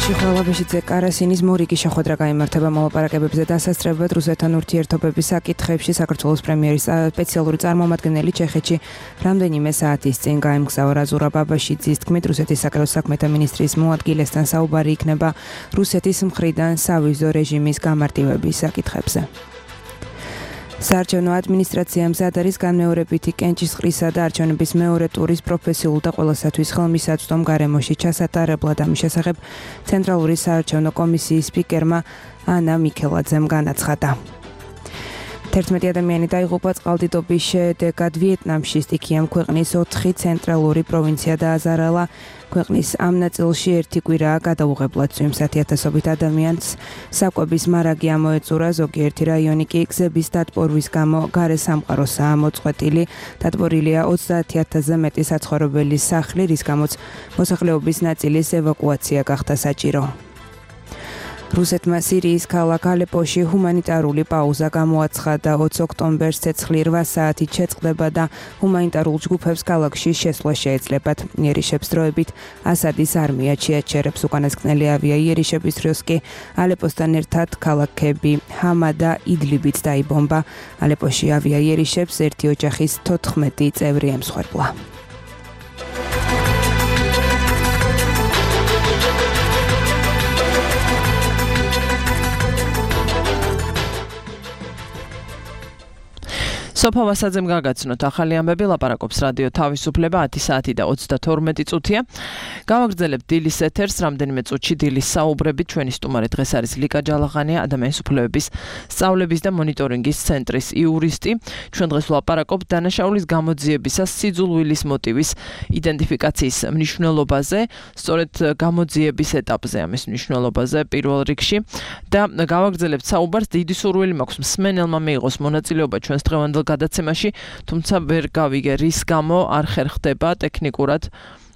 ხვალაბეშიძე კარასინის მორიგი შეხვედრა გაიმართება მოლაპარაკებებზე დასასწრებად რუსეთთან ურთიერთობების საკითხებში. საქართველოს პრემიერის სპეციალური წარმომადგენელი ჩეხეთში რამდენიმე საათის წინ გაემგზავრა. ზურაბ აბაშიძის თქმით, რუსეთის საკრებულო საქმეთა მინისტრის მოადგილესთან საუბარი იქნება რუსეთის მხრიდან სავიზო რეჟიმის გამარტივების საკითხებზე. საარჩევნო ადმინისტრაციამ მზად არის განმეორებითი კენჭისყრისა და არჩევნების მეორე ტურის პროფესიულ და ყველასათვის ხელმისაწვდომ გარემოში ჩასატარებლად ამის შესახებ ცენტრალური საარჩევნო კომისიის სპიკერმა ანა მიქელაძემ განაცხადა. თერთმეტი ადამიანი დაიღუპა წყალდიდობის შედეგად ვიეტნამში. სტიქიამ ქვეყნის ოთხი ცენტრალური პროვინცია დააზარალა. ქვეყნის ამ ნაწილში ერთი კვირაა გადაუღებლად წვიმს. ათი ათასობით ადამიანს საკვების მარაგი ამოეწურა. ზოგიერთი რაიონი კი გზების დატბორვის გამო გარე სამყაროსაა მოწყვეტილი. დატბორილია ოცდაათი ათასზე მეტი საცხოვრებელი სახლი, რის გამოც მოსახლეობის ნაწილის ევაკუაცია გახდა საჭირო. რუსეთმა სირიის ქალაქ ალეპოში ჰუმანიტარული პაუზა გამოაცხადა. ოცი ოქტომბერს ცეცხლი რვა საათით შეწყდება და ჰუმანიტარულ ჯგუფებს ქალაქში შესვლა შეეძლებათ. იერიშებს დროებით ასადის არმია შეაჩერებს. უკანასკნელი ავია იერიშების დროს კი ალეპოსთან ერთად ქალაქები ჰამა და იდლიბიც დაიბომბა. ალეპოში ავია იერიშებს ერთი ოჯახის თოთხმეტი წევრი ემსხვერპლა. სოფო ვასაძემ გაგაცნოთ ახალი ამბები. ლაპარაკობს რადიო თავისუფლება. ათი საათი და ოცდათორმეტი წუთია. გავაგრძელებთ დილის ეთერს. რამდენიმე წუთში დილის საუბრებით. ჩვენი სტუმარი დღეს არის ლიკა ჯალაღანია, ადამიანის უფლებების სწავლების და მონიტორინგის ცენტრის იურისტი. ჩვენ დღეს ვლაპარაკობთ დანაშაულის გამოძიებისას სიძულვილის მოტივის იდენტიფიკაციის მნიშვნელობაზე, სწორედ გამოძიების ეტაპზე ამის მნიშვნელობაზე პირველ რიგში და გავაგრძელებთ საუბარს. დიდი სურვილი მაქვს მსმენელმა მიიღოს მონაწილეობა ჩვენს დღევანდელ გადაცემაში, თუმცა ვერ გავიგე რის გამო არ ხერხდება ტექნიკურად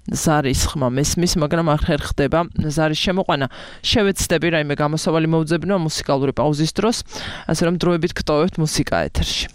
ზარის ხმა მესმის, მაგრამ არ ხერხდება ზარის შემოყვანა. შევეცდები რაიმე გამოსავალი მოვძებნო მუსიკალური პაუზის დროს, ასე რომ დროებით გტოვებთ მუსიკა ეთერში.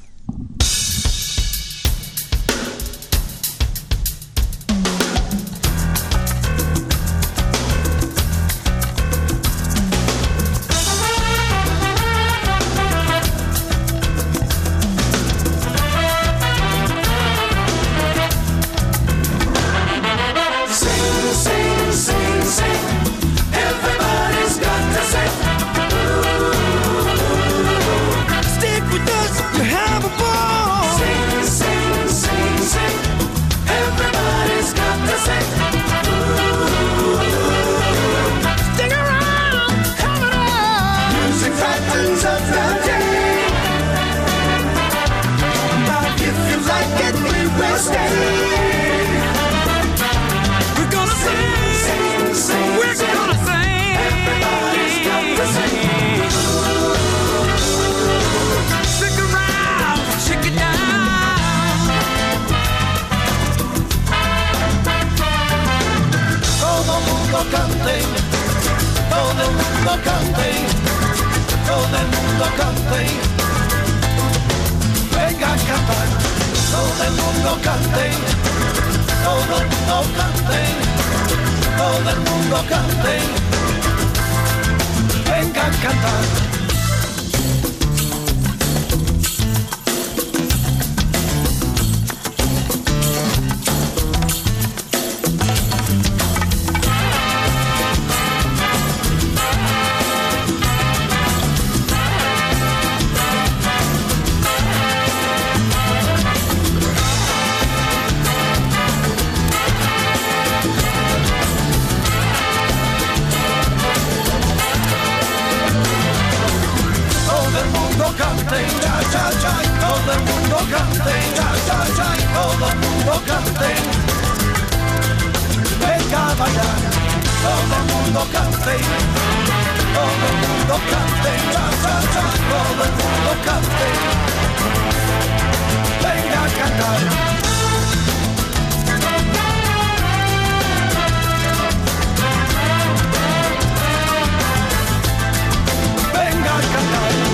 Todo el mundo cante, todo mundo cante, venga a cantar, todo el mundo cante, todo el mundo cante, todo el mundo cante, venga a cantar. Todo el mundo cante, ya, ya, ya, todo el mundo cante, venga a bailar, todo el mundo cante, todo el mundo cante, ya, ya, ya, todo el mundo cante, venga a cantar. Venga a cantar.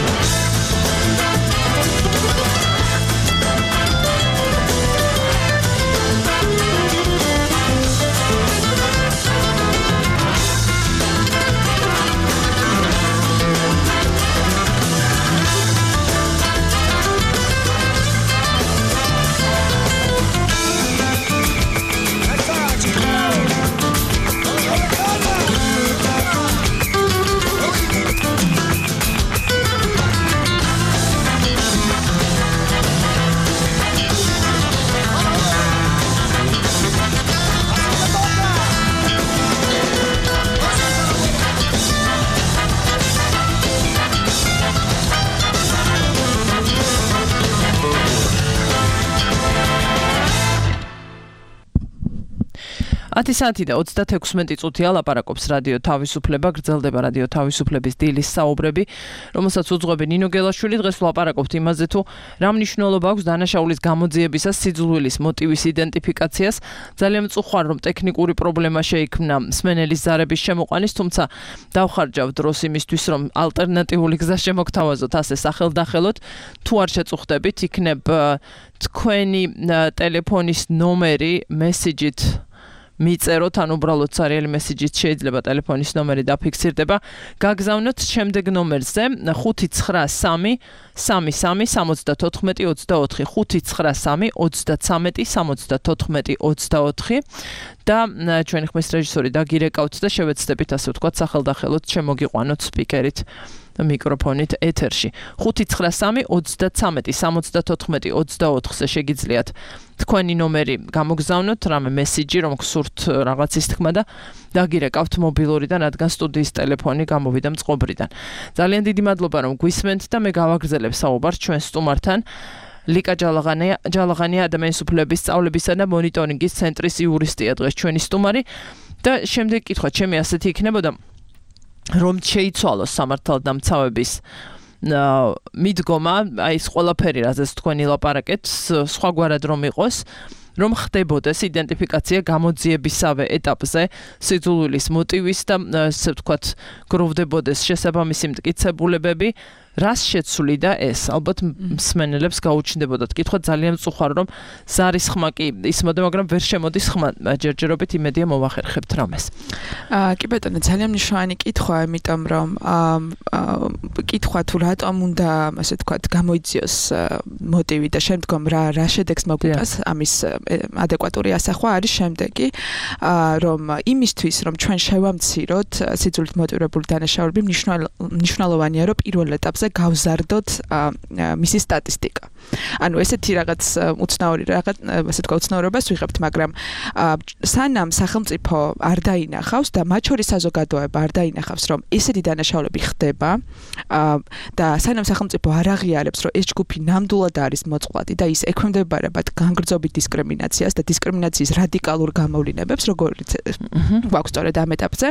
ათი საათი და ოცდათექვსმეტი წუთია ლაპარაკობს რადიო თავისუფლება, გრძელდება რადიო თავისუფლების დილის საუბრები, რომელსაც უძღვები ნინო გელაშვილი. დღეს ვლაპარაკობთ იმაზე, თუ რა მნიშვნელობა აქვს დანაშაულის გამოძიებისას სიძულვილის მოტივის იდენტიფიკაციას. ძალიან მწუხვარ, რომ ტექნიკური პრობლემა შეიქმნა მსმენელის ზარების შემოყვანის, თუმცა დავხარჯავ დროს იმისთვის, რომ ალტერნატიული გზა შემოგთავაზოთ ასე სახელდახელოდ. თუ არ შეწუხდებით, იქნებ თქვენი ტელეფონის ნომერი მესიჯით მიწეროთ, ან უბრალოდ სერიალი მესიჯით შეიძლება ტელეფონის ნომერი დაფიქსირდება. გაგზავნოთ შემდეგ ნომერზე ხუთი ცხრა სამი სამი სამი სამოცდათოთხმეტი ოცდაოთხი ხუთი ცხრა სამი ოცდაცამეტი სამოცდათოთხმეტი ოცდაოთხი და ჩვენი ხმის რეჟისორი დაგირეკავთ და შევეცდებით ასე ვთქვათ სახელდახელოდ შემოგიყვანოთ სპიკერით მიკროფონით ეთერში. ხუთი ცხრა სამი ოცდაცამეტი სამოცდათოთხმეტი ოცდაოთხზე შეგიძლიათ თქვენი ნომერი გამოგზავნოთ, რამე მესიჯი, რომ გსურთ რაღაცის თქმა და დაგირეკავთ მობილურიდან, რადგან სტუდიის ტელეფონი გამოვიდა მწყობრიდან. ძალიან დიდი მადლობა, რომ გვისმენთ და მე გავაგრძელებ საუბარს ჩვენ სტუმართან. ლიკა ჯალაღანია, ჯალაღანია ადამიანის უფლებების სწავლებისა და მონიტორინგის ცენტრის იურისტია დღეს ჩვენი სტუმარი და შემდეგ კითხვა ჩემი ასეთი იქნებოდა, რომ შეიცვალოს სამართალდამცავების მიდგომა, აი ეს ყველაფერი, რაზეც თქვენი ლაპარაკეთ, სხვაგვარად რომ იყოს, რომ ხდებოდეს იდენტიფიკაცია გამოძიებისავე ეტაპზე სიძულვილის მოტივის და ასე ვთქვათ, გროვდებოდეს შესაბამისი მტკიცებულებები. რას შეცვლიდა ეს? ალბათ მსმენელებს გაუჩნდებოდათ კითხვა, ძალიან მწუხარ, რომ ზარის ხმა კი ისმოდა, მაგრამ ვერ შემოდის ხმა. ჯერჯერობით იმედია მოვახერხებთ რამეს. აა კი ბატონო, ძალიან მნიშვნელოვანი კითხვა, იმიტომ რომ კითხვა თუ რატომ უნდა, ასე ვთქვათ, გამოიძიოს მოტივი და შემდგომ რა რა შედეგს მოგვიტანს ამის ადეკვატური ასახვა არის შემდეგი, რომ იმისთვის, რომ ჩვენ შევამციროთ სიძულით მოტივირებული დანაშაულები, მნიშვნელოვანია, რომ პირველ ეტაპზე გავზარდოთ მისი სტატისტიკა. ანუ ესეთი რაღაც უცნაური რაღაც, ასე ვთქვათ, უცნაურობას ვიღებთ, მაგრამ სანამ სახელმწიფო არ დაინახავს და მათ შორის საზოგადოება არ დაინახავს, რომ ესეთი დანაშაულები ხდება და სანამ სახელმწიფო არ აღიარებს, რომ ეს ჯგუფი ნამდვილად არის მოწყვლადი და ის ექვემდებარებათ განგრძობი დისკრიმინაციას და დისკრიმინაციის რადიკალურ გამოვლინებებს, როგორც გვაქვს სწორედ ამ ეტაპზე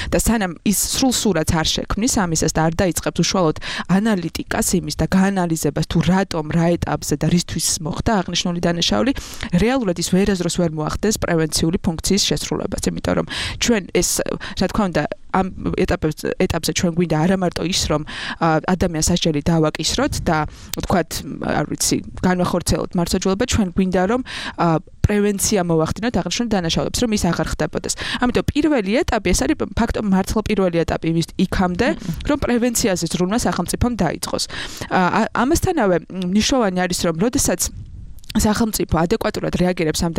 და სანამ ის სრულ სურათს არ შექმნის ამისას და არ დაიწყებს უშუალოდ ანალიტიკას იმის და გაანალიზებას თუ რატომ რა ეტაპზე და რისთვის მოხდა აღნიშნული დანაშაული, რეალურად ის ვერასდროს ვერ მოახდენს პრევენციული ფუნქციის შესრულებას, იმიტომ რომ ჩვენ ეს, რა თქმა უნდა, ამ ეტაპებს ეტაპზე ჩვენ გვინდა არა მარტო ის რომ ადამიანს სასჯელი დავაკისროთ და ვთქვათ არ ვიცი განვახორციელოთ მართლმსაჯულება ჩვენ გვინდა რომ პრევენცია მოვახდინოთ აღნიშნულ დანაშაულებს რომ ის აღარ ხდებოდეს. ამიტომ პირველი ეტაპი ეს არის ფაქტობრივად მართლა პირველი ეტაპი იმის იქამდე რომ პრევენციაზე ზრუნვა სახელმწიფომ დაიწყოს. ამასთანავე მნიშვნელოვანი არის რომ როდესაც სახელმწიფო ადეკვატურად რეაგირებს ამ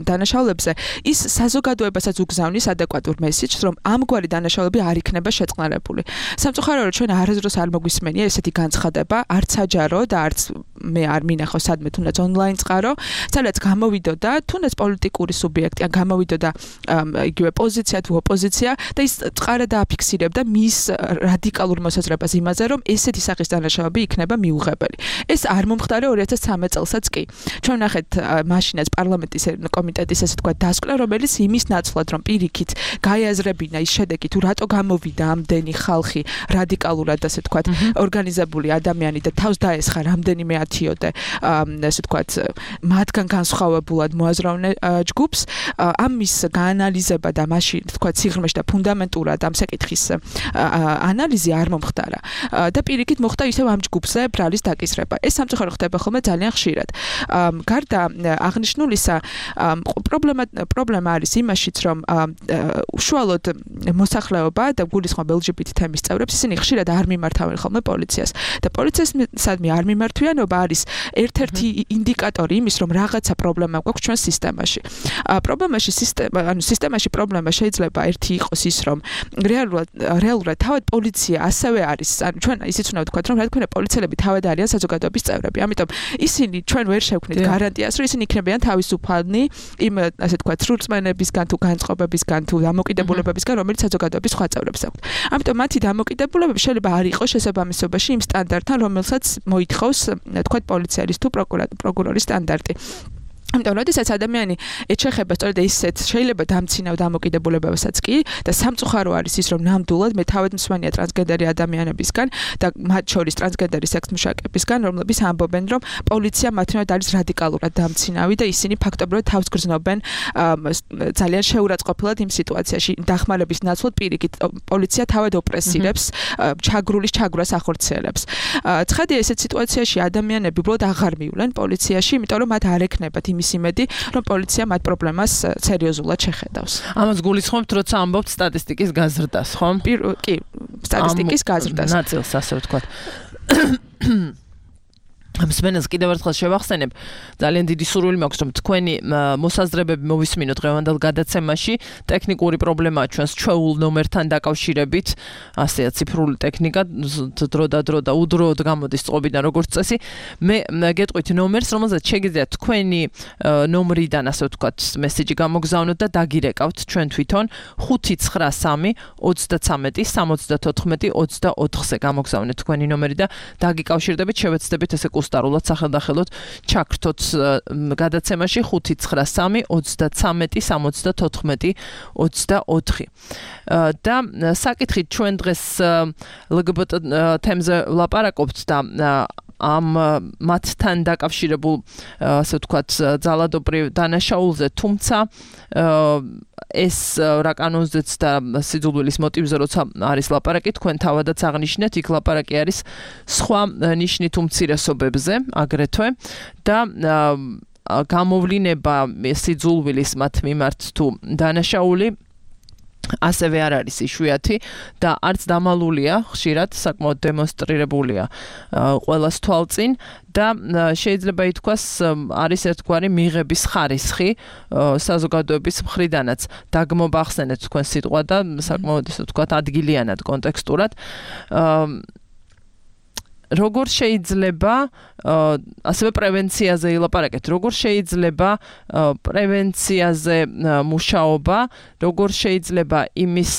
დანაშაულებზე, ის საზოგადოებასაც უგზავნის ადეკვატურ მესიჯს, რომ ამგვარი დანაშაულები არ იქნება შეწყნარებული. სამწუხაროდ ჩვენ არასდროს არ მოგვისმენია ესეთი განცხადება, არც საჯარო და არც მე არ მინახავს სადმე თუნდაც ონლაინ წყარო, სადაც გამოვიდოდა თუნდაც პოლიტიკური სუბიექტი, ან გამოვიდოდა იგივე პოზიცია თუ ოპოზიცია და ის წყარა დააფიქსირებდა მის რადიკალურ მოსაზრებას იმაზე, რომ ესეთი სახის დანაშაულები იქნება მიუღებელი. ეს არ მომხდარა ორი ათას ცხრამეტ წელსაც კი. ჩვენ ნახეთ მაშინაც პარლამენტის კომიტეტის ესე თქვა დასკვნა, რომელიც იმის ნაცვლად რომ პირიქით გაიაზრებინა ის შედეგი თუ რატო გამოვიდა ამდენი ხალხი რადიკალურად ასე თქვა ორგანიზებული ადამიანი და თავს დაესხა რამდენიმე ათიოდე ასე თქვა მათგან განსხვავებულად მოაზროვნე ჯგუფს ამის გაანალიზება და მაშინ თქვა სიღრმეში და ფუნდამენტურად ამ საკითხის ანალიზი არ მომხდარა და პირიქით მოხდა ისევ ამ ჯგუფზე ბრალის დაკისრება. ეს სამწუხაროდ ხდება ხოლმე ძალიან ხშირად. გარდა აღნიშნულისა პრობლემა პრობლემა არის იმაშიც რომ უშუალოდ მოსახლეობა და გულისხმობ ელ ჯი ბი თი თემის წევრებს ისინი ხშირად არ მიმართავენ ხოლმე პოლიციას და პოლიციასადმი არ მიმართვიანობა არის ერთ-ერთი ინდიკატორი იმის რომ რაღაცა პრობლემა გვაქვს ჩვენ სისტემაში. პრობლემაში სისტემა ანუ სისტემაში პრობლემა შეიძლება ერთი იყოს ის რომ რეალურად რეალურად თავად პოლიცია ასევე არის ანუ ჩვენ ისიც უნდა ვთქვათ რომ რა თქმა უნდა პოლიციელები თავად არიან საზოგადოების წევრები. ამიტომ ისინი ჩვენ ვერ შევქმნით გარანტიას, რომ ისინი იქნებიან თავისუფალნი იმ ასე თქვა სრულწმენებისგან თუ განწყობებისგან თუ დამოკიდებულებებისგან, რომელიც საზოგადოების სხვა წევრებს აქვთ. ამიტომ მათი დამოკიდებულებები შეიძლება არ იყოს შესაბამისობაში იმ სტანდარტთან, რომელსაც მოითხოვს თქვა პოლიციელის თუ პროკურორის სტანდარტი. ამიტომ როდესაც ადამიანი ეჩეხება სწორედ ისეთ შეიძლება დამცინავ დამოკიდებულებებასაც კი და სამწუხარო არის ის რომ ნამდვილად მე თავად მსმენია ტრანსგენდერი ადამიანებისგან და მათ შორის ტრანსგენდერი სექს-მუშაკებისგან, რომლებიც ამბობენ რომ პოლიცია მათნივად არის რადიკალურად დამცინავი და ისინი ფაქტობრივად თავს გრძნობენ ძალიან შეურაცხყოფილად იმ სიტუაციაში დახმარების ნაცვლად პირიქით პოლიცია თავად ოპრესირებს ჩაგრულის ჩაგვრას ახორციელებს. ცხადია ესეთ სიტუაციაში ადამიანები უბრალოდ აღარ მივლენ პოლიციაში, იმიტომ რომ მათ არ ექნებათ იმ იმედი, რომ პოლიცია მათ პრობლემას სერიოზულად შეხედავს. ამას გულისხმობთ, როცა ამბობთ სტატისტიკის გაზრდას, ხო? კი, სტატისტიკის გაზრდას. ნაწილს ასე ვთქვათ. მსმენელს კიდევ ერთხელ შევახსენებ, ძალიან დიდი სურვილი მაქვს, რომ თქვენი მოსაზრებები მოვისმინოთ დღევანდელ გადაცემაში. ტექნიკური პრობლემაა ჩვენს ჩვეულ ნომერთან დაკავშირებით, ასეა ციფრული ტექნიკა, დრო და დრო და უდროოდ გამოდის წყობიდან როგორც წესი. მე გეტყვით ნომერს, რომელზეც შეგიძლიათ თქვენი ნომრიდან, ასე ვთქვათ, მესიჯი გამოგზავნოთ და დაგირეკავთ ჩვენ თვითონ ხუთი ცხრა სამი ოცდაცამეტი სამოცდათოთხმეტი ოცდაოთხზე გამოგზავნეთ თქვენი ნომერი და დაგიკავშირდებით, შევეცდებით ესე სტარულად სახელდახელოდ ჩაქრთოთ გადაცემაში ხუთი ცხრა სამი ოცდაცამეტი სამოცდათოთხმეტი ოცდაოთხი. და საკითხით ჩვენ დღეს ელ გი ბი ტი თემზე ვლაპარაკობთ და ამ მათთან დაკავშირებულ ასე ვთქვათ ძალადობრივ დანაშაულზე, თუმცა ეს რა კანონზეც და სიძულვილის მოტივზე როცა არის ლაპარაკი, თქვენ თავადაც აღნიშნეთ, იქ ლაპარაკი არის სხვა ნიშნით უმცირესობებზე აგრეთვე და გამოვლინება სიძულვილის მათ მიმართ თუ დანაშაული ასევე არ არის იშვიათი და არც დამალულია, ხშირად საკმაოდ დემონსტრირებულია ყველას თვალწინ და შეიძლება ითქვას არის ერთგვარი მიღების ხარისხი საზოგადოების მხრიდანაც. დაგმობახსენეთ თქვენ სიტყვა და საკმაოდ ისე ვთქვათ ადგილიანად კონტექსტურად. როგორ შეიძლება ასევე პრევენციაზე ილაპარაკეთ, როგორ შეიძლება პრევენციაზე მუშაობა, როგორ შეიძლება იმის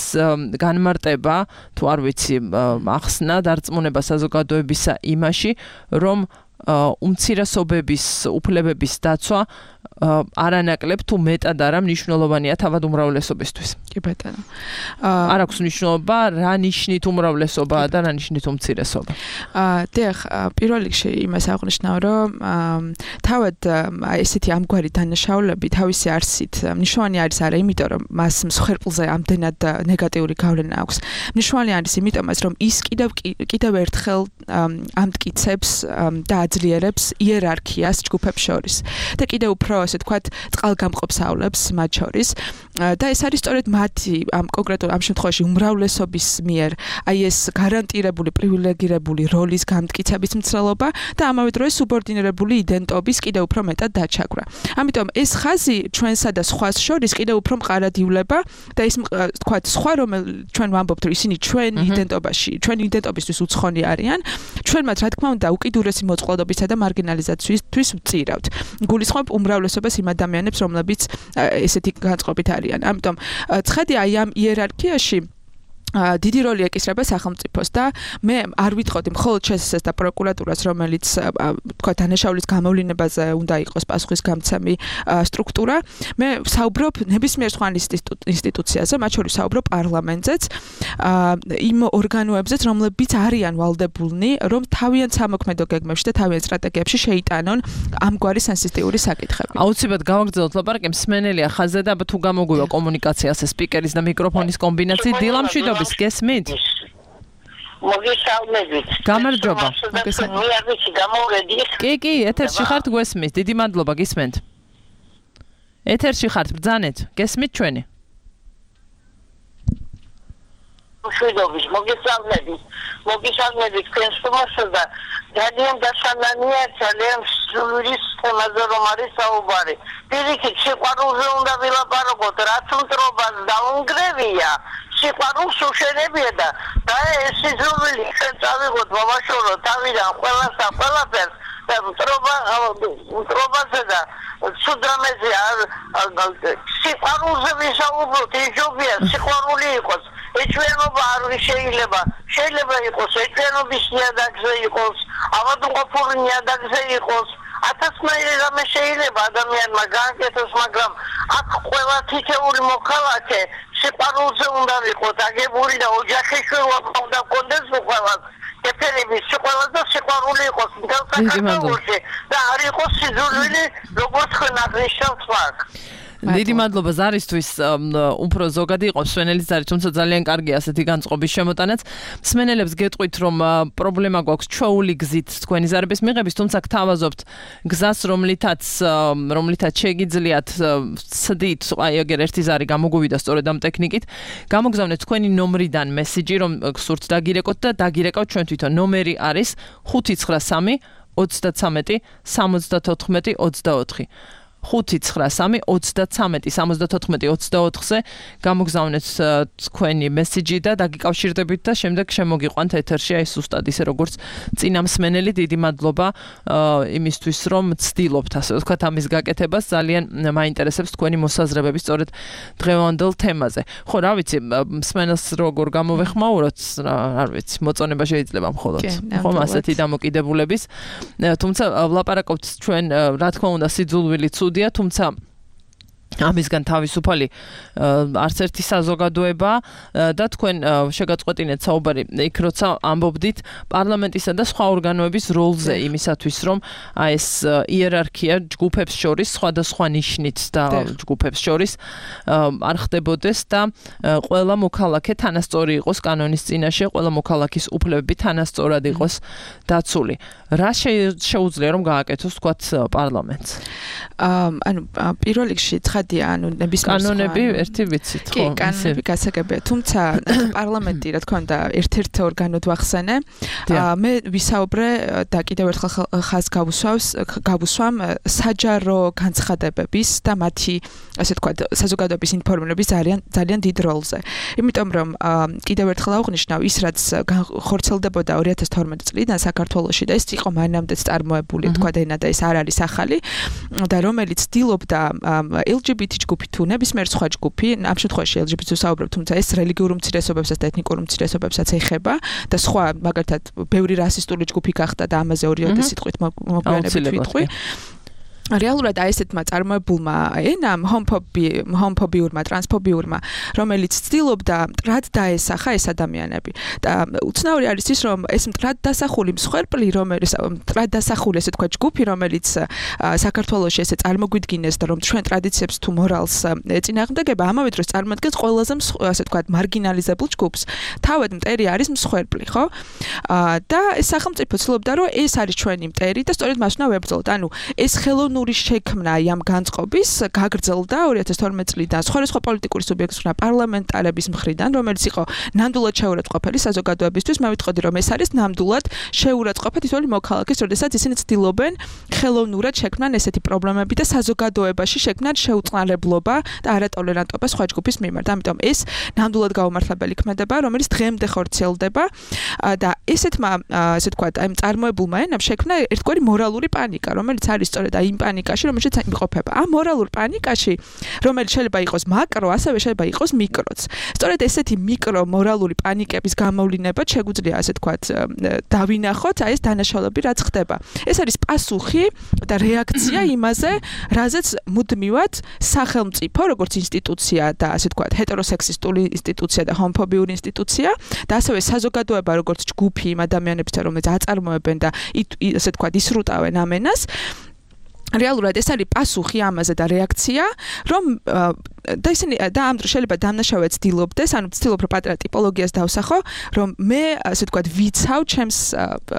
განმარტება, თუ არ ვიცი, ახსნა, დარწმუნება საზოგადოებისა იმაში, რომ უმცირესობების უფლებების დაცვა არანაკლებ თუ მეტად არა მნიშვნელოვანია თავად უმრავლესობისთვის. კი ბატონო. არ აქვს მნიშვნელობა რა ნიშნით უმრავლესობაა და რა ნიშნით უმცირესობა. აა დიახ, პირველ რიგში იმას აღნიშნავ, რომ თავად ესეთი ამგვარი დანაშაულები თავისი არსით მნიშვნელოვანი არის არა იმიტომ რომ მას მსხვერპლზე ამდენად ნეგატიური გავლენა აქვს. მნიშვნელოვანი არის იმიტომაც რომ ის კიდევ კიდევ ერთხელ ამტკიცებს და აძლიერებს იერარქიას ჯგუფებს შორის და კიდევ უფრო ასე თქვათ წყალგამყოფს ავლებს მათ შორის და ეს არის სწორედ მათი ამ კონკრეტულ ამ შემთხვევაში უმრავლესობის მიერ აი ეს გარანტირებული პრივილეგირებული როლის გამტკიცების მცდელობა და ამავე დროს სუბორდინირებული იდენტობის კიდევ უფრო მეტად დაჩაგვრა. ამიტომ ეს ხაზი ჩვენსა და სხვას შორის კიდევ უფრო მყარად ივლება და ის თქვათ სხვა რომ ჩვენ ვამბობთ რომ ისინი ჩვენ იდენტობაში ჩვენ იდენტობისთვის უცხონი არიან ჩვენ მათ რა თქმა უნდა უკიდურესი მოწყვლადობისა და მარგინალიზაციისთვის ვწირავთ. გულისხმობ უმრავლესობას იმ ადამიანებს რომლებიც ესეთი განწყობით არიან. ამიტომ ცხადია აი ამ იერარქიაში დიდი როლი ეკისრება სახელმწიფოს და მე არ ვიტყოდი მხოლოდ ჩსს და პროკურატურას რომელიც თქვა დანაშაულის გამოვლინებაზე უნდა იყოს პასუხისგამცემი სტრუქტურა მე საუბრობ ნებისმიერ სხვა ინსტიტუციაზე მათ შორის საუბრობ პარლამენტზეც იმ ორგანოებზეც რომლებიც არიან ვალდებულნი რომ თავიანთ სამოქმედო გეგმებში და თავიანთ სტრატეგიებში შეიტანონ ამგვარი სენსიტიური საკითხები. აუცილებლად გავაგრძელოთ ლაპარაკი მსმენელია ხაზზე და თუ გამოგვივა კომუნიკაციაზე სპიკერის და მიკროფონის კომბინაციით დილამშვიდობის გესმით? მოგესალმებით. გამარჯობა. მოგესალმებით. გამოვედი. კი, კი, ეთერში ხართ გვესმის. დიდი მადლობა გისმენთ. ეთერში ხართ ბრძანეთ. გესმით ჩვენი? მშვიდობის, მოგესალმებით. მოგესალმებით თქვენს თომასა და ძალიან დასანანია ძალიან სრულის თემაზე რომ არის საუბარი. პირიქით სიყვარულზე უნდა ვილაპარაკოთ, რაც მტრობას დაუნგრევია. სიყვარულს უშენებია და და ეს სიძულვილი ჩვენ წავიღოთ ბავშვო თავიდან ყველას და ყველაფერს და მტრობა მტრობაზე და სუდრამეზე სიყვარულზე ვისაუბროთ იჯობია სიყვარული იყოს ეჭვიანობა არ შეიძლება შეიძლება იყოს ეჭვიანობის ნიადაგზე იყოს ავადმყოფური ნიადაგზე იყოს ათასნაირი რამე შეიძლება ადამიანმა გააკეთოს მაგრამ აქ ყველა თითეული მოქალაქე სიყვარულზე უნდა ვიყოთ აგებული და ოჯახი შვილობა უნდა გქონდეს უყველას ეფერების სიყვარული და სიყვარული იყოს მთელ საქართველოში და არ იყოს სიძულვილი როგორც ხან აღნიშნავს აქ. დიდი მადლობა ზარისთვის უფრო ზოგადი იყო მსმენელის ზარი თუმცა ძალიან კარგი ასეთი განწყობის შემოტანაც მსმენელებს გეტყვით რომ პრობლემა გვაქვს ჩვეული გზით თქვენი ზარების მიღების თუმცა გთავაზობთ გზას რომლითაც რომლითაც შეგიძლიათ ცდით აი ეგერ ერთი ზარი გამოგვივიდა სწორედ ამ ტექნიკით გამოგზავნეთ თქვენი ნომრიდან მესიჯი რომ გსურთ დაგირეკოთ და დაგირეკავთ ჩვენ თვითონ ნომერი არის ხუთი ცხრა სამი ოცდათსამეტი სამოცდათოთხმეტი ოცდაოთხი ხუთი ცხრა სამი ოცდათსამეტი სამოცდათოთხმეტი ოცდაოთხზე გამოგზავნეთ თქვენი მესიჯი და დაგიკავშირდებით და შემდეგ შემოგიყვანთ ეთერში აი სუსტად ისე როგორც წინა მსმენელი დიდი მადლობა იმისთვის რომ ცდილობთ ასე ვთქვათ ამის გაკეთებას ძალიან მაინტერესებს თქვენი მოსაზრებები სწორედ დღევანდელ თემაზე ხო რა ვიცი მსმენელს როგორ გამოვეხმაუროთ არ ვიცი მოწონება შეიძლება მხოლოდ ხომ ასეთი დამოკიდებულების თუმცა ვლაპარაკობთ ჩვენ რა თქმა უნდა სიძულვილი თუმცა ამისგან თავისუფალი არც ერთი საზოგადოება და თქვენ შეგაწყვეტინეთ საუბარი იქ როცა ამბობდით პარლამენტისა და სხვა ორგანოების როლზე იმისათვის რომ აი ეს იერარქია ჯგუფებს შორის სხვადასხვა ნიშნით და ჯგუფებს შორის არ ხდებოდეს და ყველა მოქალაქე თანასწორი იყოს კანონის წინაშე ყველა მოქალაქის უფლებები თანასწორად იყოს დაცული რა შეუძლია რომ გააკეთოს თქვათ პარლამენტს ანუ პირველ რიგში ანუ ნებისმიერ კანონები ერთი ვიცით ხო? კი, კანონები გასაგებია. თუმცა პარლამენტი რა თქმა უნდა ერთ-ერთ ორგანოდ ვახსენე. მე ვისაუბრე და კიდევ ერთხელ ხაზს გავუსვავს, გავუსვამ საჯარო განცხადებების და მათი ასე ვთქვათ საზოგადოების ინფორმირების ძალიან ძალიან დიდ როლზე. იმიტომ რომ კიდევ ერთხელ აღვნიშნავ ის რაც ხორცელდებოდა ორი ათას თორმეტი წლიდან საქართველოში და ეს იყო მანამდეც წარმოებული თქვა ენა და ეს არ არის ახალი და რომელიც ცდილობდა ელ ჯი ბი ტი ჯგუფი თუ ნებისმიერ სხვა ჯგუფი, ამ შემთხვევაში ელ ჯი ბი ტი-ს ვსაუბრობ, თუმცა ეს რელიგიურ უმცირესობებსაც და ეთნიკურ უმცირესობებსაც ეხება და სხვა, მაგალითად, ბევრი რასისტული ჯგუფი გახდა და ამაზე ორი ათი სიტყვით მოგვიანებით ვიტყვი. რეალურად აი ესეთმა წარმოებულმა ენამ ჰომოფობიურმა, ტრანსფობიურმა, რომელიც ცდილობდა მტრად დაესახა ეს ადამიანები. და უცნაური არის ის, რომ ეს მტრად დასახული მსხვერპლი, რომელიც მტრად დასახული ესე თქვა ჯგუფი, რომელიც საქართველოში ესე წარმოგვიდგინეს და რომ ჩვენ ტრადიციებს თუ მორალს ეწინააღმდეგება, ამავე დროს წარმოადგენს ყველაზე ესე თქვა მარგინალიზებულ ჯგუფს. თავად მტერი არის მსხვერპლი, ხო? და ეს სახელმწიფო ცდილობდა, რომ ეს არის ჩვენი მტერი და სწორედ მას უნდა ვებრძოლოთ. ანუ ეს ხელოვნური შექმნა ამ განწყობის გაგრძელდა ორი ათას თორმეტი წლიდან სხვადასხვა პოლიტიკური სუბიექტის მხრიდან, პარლამენტარების მხრიდან, რომელიც იყო ნამდვილად შეურაცხყოფელი საზოგადოებისთვის. მე ვიტყოდი, რომ ეს არის ნამდვილად შეურაცხყოფა თითოეული მოქალაქის, როდესაც ისინი ცდილობენ ხელოვნურად შექმნან ესეთი პრობლემები და საზოგადოებაში შექმნან შეუწყნარებლობა და არატოლერანტობა სხვა ჯგუფის მიმართ. ამიტომ ეს ნამდვილად გაუმართლებელი ქმედება, რომელიც დღემდე ხორციელდება და ესეთმა, ასე ვთქვათ, აი წარმოებულმა ენამ შექმნა ერთგვარი მორალური პანიკა, რომელიც არის სწორედ აი იმ პანიკაში, რომელშიც იმყოფება. ამ მორალურ პანიკაში, რომელიც შეიძლება იყოს მაკრო, ასევე შეიძლება იყოს მიკროც. სწორედ ესეთი მიკრო მორალური პანიკების გამოვლინებად შეგვიძლია, ასე ვთქვათ, დავინახოთ აი ეს დანაშაულები, რაც ხდება. ეს არის პასუხი და რეაქცია იმაზე, რაზეც მუდმივად სახელმწიფო, როგორც ინსტიტუცია და ასე ვთქვათ, ჰეტეროსექსისტული ინსტიტუცია და ჰომოფობიური ინსტიტუცია და ასევე საზოგადოება, როგორც ჯგუფი იმ ადამიანებთან, რომელიც აწარმოებენ და ასე ვთქვათ, ისრუტავენ ამ ენას. რეალურად ეს არის პასუხი ამაზე და რეაქცია, რომ და ისინი და ამ დროს შეიძლება დამნაშავე ცდილობდეს, ანუ ცდილობ რომ პატრა ტიპოლოგიას დავსახო, რომ მე ასე ვთქვათ ვიცავ ჩემს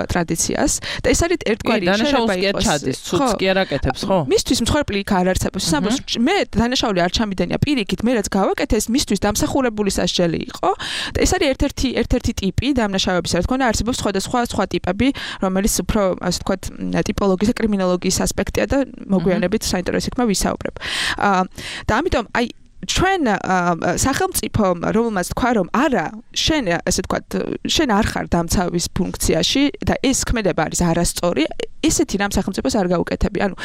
ტრადიციას და ეს არის ერთგვარი შეიძლება იყოს ჩადის, ცუც კი არ აკეთებს, ხო? მისთვის მსხვერპლი იქ არ არსებობს. სამბოს მე დანაშაული არ ჩამიდენია პირიქით, მე რაც გავაკეთე, ეს მისთვის დამსახურებული სასჯელი იყო და ეს არის ერთ-ერთი ერთ-ერთი ტიპი დამნაშავების, რა თქმა უნდა, არსებობს სხვადასხვა სხვა ტიპები, რომელიც უფრო ასე ვთქვათ ტიპოლოგიის და კრიმინოლოგიის ასპექტია და მოგვიანებით საინტერესო იქნება ვისაუბრებ. და ამიტომ აი ჩვენ სახელმწიფო რომელმაც თქვა რომ არა შენ ასე ვთქვათ შენ არ ხარ დამცავის ფუნქციაში და ეს ქმედება არის არასწორი ესეთი რამ სახელმწიფოს არ გაუკეთები. ანუ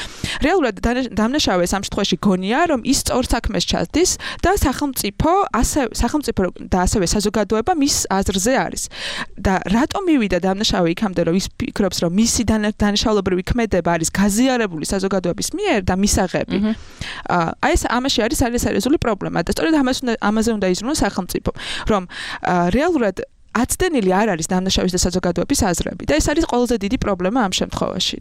რეალურად დამნაშავეს ამ შემთხვევაში გონია რომ ის სწორ საქმეს ჩადის და სახელმწიფო ასე სახელმწიფო და ასევე საზოგადოება მის აზრზე არის. და რატომ მივიდა დამნაშავე იქამდე რომ ის ფიქრობს რომ მისი დანაშაულებრივი ქმედება არის გაზიარებული საზოგადოების მიერ და მისაღები. აი ეს ამაში არის სერიოზული პრობლემა და სწორედ ამას უნდა ამაზე უნდა იზრუნოს სახელმწიფო რომ რეალურად აცდენილი არ არის დამნაშავის და საზოგადოების აზრები და ეს არის ყველაზე დიდი პრობლემა ამ შემთხვევაში.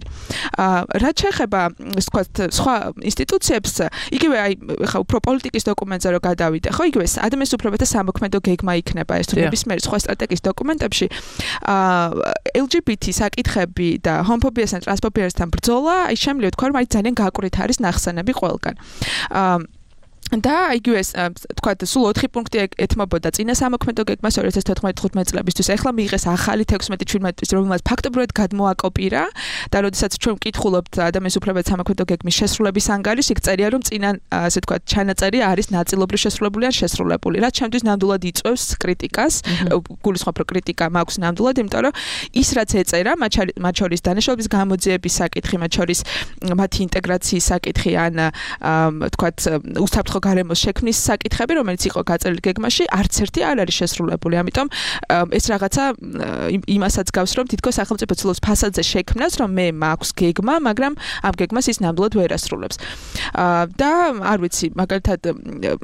რაც შეეხება ვთქვათ სხვა ინსტიტუციებს, იგივე აი ხა უფრო პოლიტიკის დოკუმენტზე რო გადავიდე, ხო, იგივე ადამიანის უფლებათა სამოქმედო გეგმა იქნება ეს თუ ნებისმიერ სხვა სტრატეგიის დოკუმენტებში ელ ჯი ბი თი საკითხები და ჰომოფობიასთან ტრანსფობიასთან ბრძოლა, აი შემიძლია ვთქვა რომ აი ძალიან გაკვირით არის ნახსენები ყველგან. და იგივე თქვათ სულ ოთხი პუნქტი ეთმობოდა წინა სამოქმედო გეგმას ორი ათას თოთხმეტ წლებისთვის. ეხლა მიიღეს ახალი თექვსმეტი შვიდმეტი, რომელმაც ფაქტობრივად გადმოაკოპირა და როდესაც ჩვენ ვკითხულობთ ადამიანის უფლებათა სამოქმედო გეგმის შესრულების ანგარიშს, იქ წერია რომ წინა ასე თქვათ ჩანაწერი არის ნაწილობრივ შესრულებული ან შესრულებული. რაც ჩემთვის ნამდვილად იწვევს კრიტიკას, გულისხმობ რომ კრიტიკა მაქვს ნამდვილად, იმიტომ რომ ის რაც ეწერა, მათ შორის დანაშაულების გამოძიების საკითხი, მათ შორის მათი ინტეგრაციის საკითხი ან თქვათ უსაფრთხო გარემოს შექმნის საკითხები, რომელიც იყო გაწერილი გეგმაში, არც ერთი არ არის შესრულებული. ამიტომ ეს რაღაცა იმასაც გავს, რომ თითქოს სახელმწიფო ცდილობს ფასადზე შექმნას, რომ მე მაქვს გეგმა, მაგრამ ამ გეგმას ის ნამდვილად ვერ ასრულებს. და არ ვიცი, მაგალითად,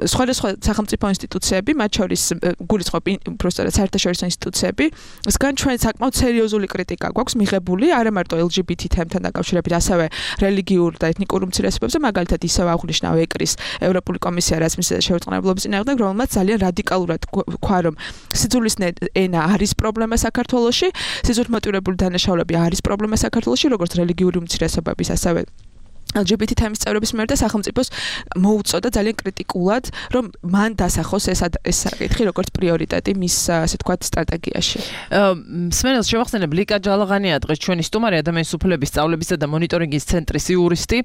სხვადასხვა სახელმწიფო ინსტიტუციები, მათ შორის გულისხმობ უბრალოდ საერთაშორისო ინსტიტუციები, ისგან ჩვენ საკმაოდ სერიოზული კრიტიკა გვაქვს მიღებული, არა მარტო ელ ჯი ბი თი თემთან დაკავშირებით, ასევე რელიგიურ და ეთნიკურ უმცირესობებზე, მაგალითად ისევ აღნიშნავ ეკრის ევროპული კომისია რასმის შეურაცხმყოფობის წინააღმდეგ, რომელმაც ძალიან რადიკალურად თქვა, რომ სიძულის ენა არის პრობლემა საქართველოში, სიზურმოტივირებული დანაშაულები არის პრობლემა საქართველოში, როგორც რელიგიური უმცირესობების, ასევე ელ ჯი ბი თი თემის წევრების მიერ და სახელმწიფოს მოუწოდა ძალიან კრიტიკულად, რომ მან დასახოს ეს ეს საკითხი როგორც პრიორიტეტი მის ასე თქვათ სტრატეგიაში. მსმენელს შევახსენებ, ლიკა ჯალაღანია დღეს ჩვენი სტუმარი, ადამიანის უფლებების სწავლებისა და მონიტორინგის ცენტრის იურისტი.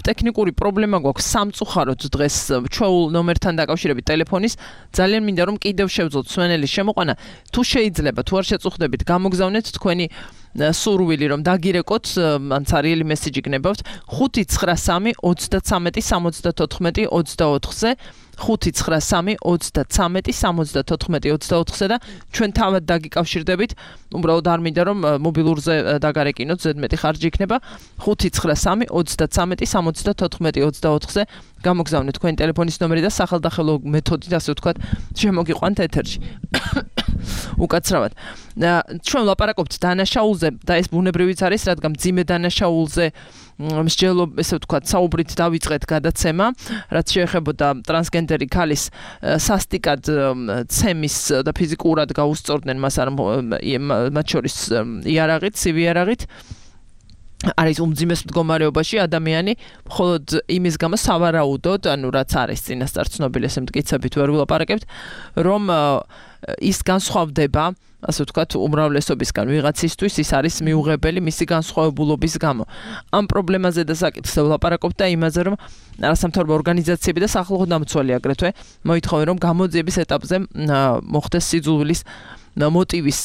ტექნიკური პრობლემა გვაქვს სამწუხაროდ დღეს ჩვეულ ნომერთან დაკავშირებით ტელეფონის. ძალიან მინდა რომ კიდევ შევძლოთ მსმენელის შემოყვანა. თუ შეიძლება, თუ არ შეწუხდებით, გამოგზავნეთ თქვენი სურვილი რომ დაგირეკოთ, ან ცარიელი მესიჯი გნებავთ ხუთი ცხრა სამი ოცდათსამეტი სამოცდათოთხმეტი ოცდაოთხზე ხუთი ცხრა სამი ოცდათრამეტი სამოცდათოთხმეტი ოცდაოთხზე და ჩვენ თავად დაგიკავშირდებით. უბრალოდ არ მინდა რომ მობილურზე დაგარეკინოთ, ზედმეტი ხარჯი იქნება. ხუთი ცხრა სამი ოცდათრამეტი სამოცდათოთხმეტი ოცდაოთხზე გამოგზავნეთ თქვენი ტელეფონის ნომერი და სახელდახელო მეთოდით, ასე ვთქვათ, შემოგიყვანთ ეთერში. უკაცრავად. ჩვენ ვლაპარაკობთ დანაშაულზე და ეს ბუნებრივიც არის, რადგან მძიმე დანაშაულზე მსჯელო, ესე ვთქვათ, საუბრით დავიწყეთ გადაცემა, რაც შეეხებოდა ტრანსგენდერი ქალის სასტიკად ცემის და ფიზიკურად გაუსწორდნენ მას არ მათ შორის იარაღით, სივიარაღით. არის უმძიმეს მდგომარეობაში ადამიანი, მხოლოდ იმის გამო სავარაუდოდ, ანუ რაც არის წინასწარ ცნობილი, ესე მტკიცებით ვერ ვილაპარაკებთ, რომ ის განსხვავდება, ასე ვთქვათ, უმრავლესობისგან ვიღაცისთვის ის არის მიუღებელი მისი განსხვავებულობის გამო. ამ პრობლემაზე და საკითხზე ვლაპარაკობთ და იმაზე, რომ არასამთავრობო ორგანიზაციები და სახელმწიფო დამცველი აგრეთვე მოითხოვენ, რომ გამოძიების ეტაპზე მოხდეს სიძულვილის მოტივის,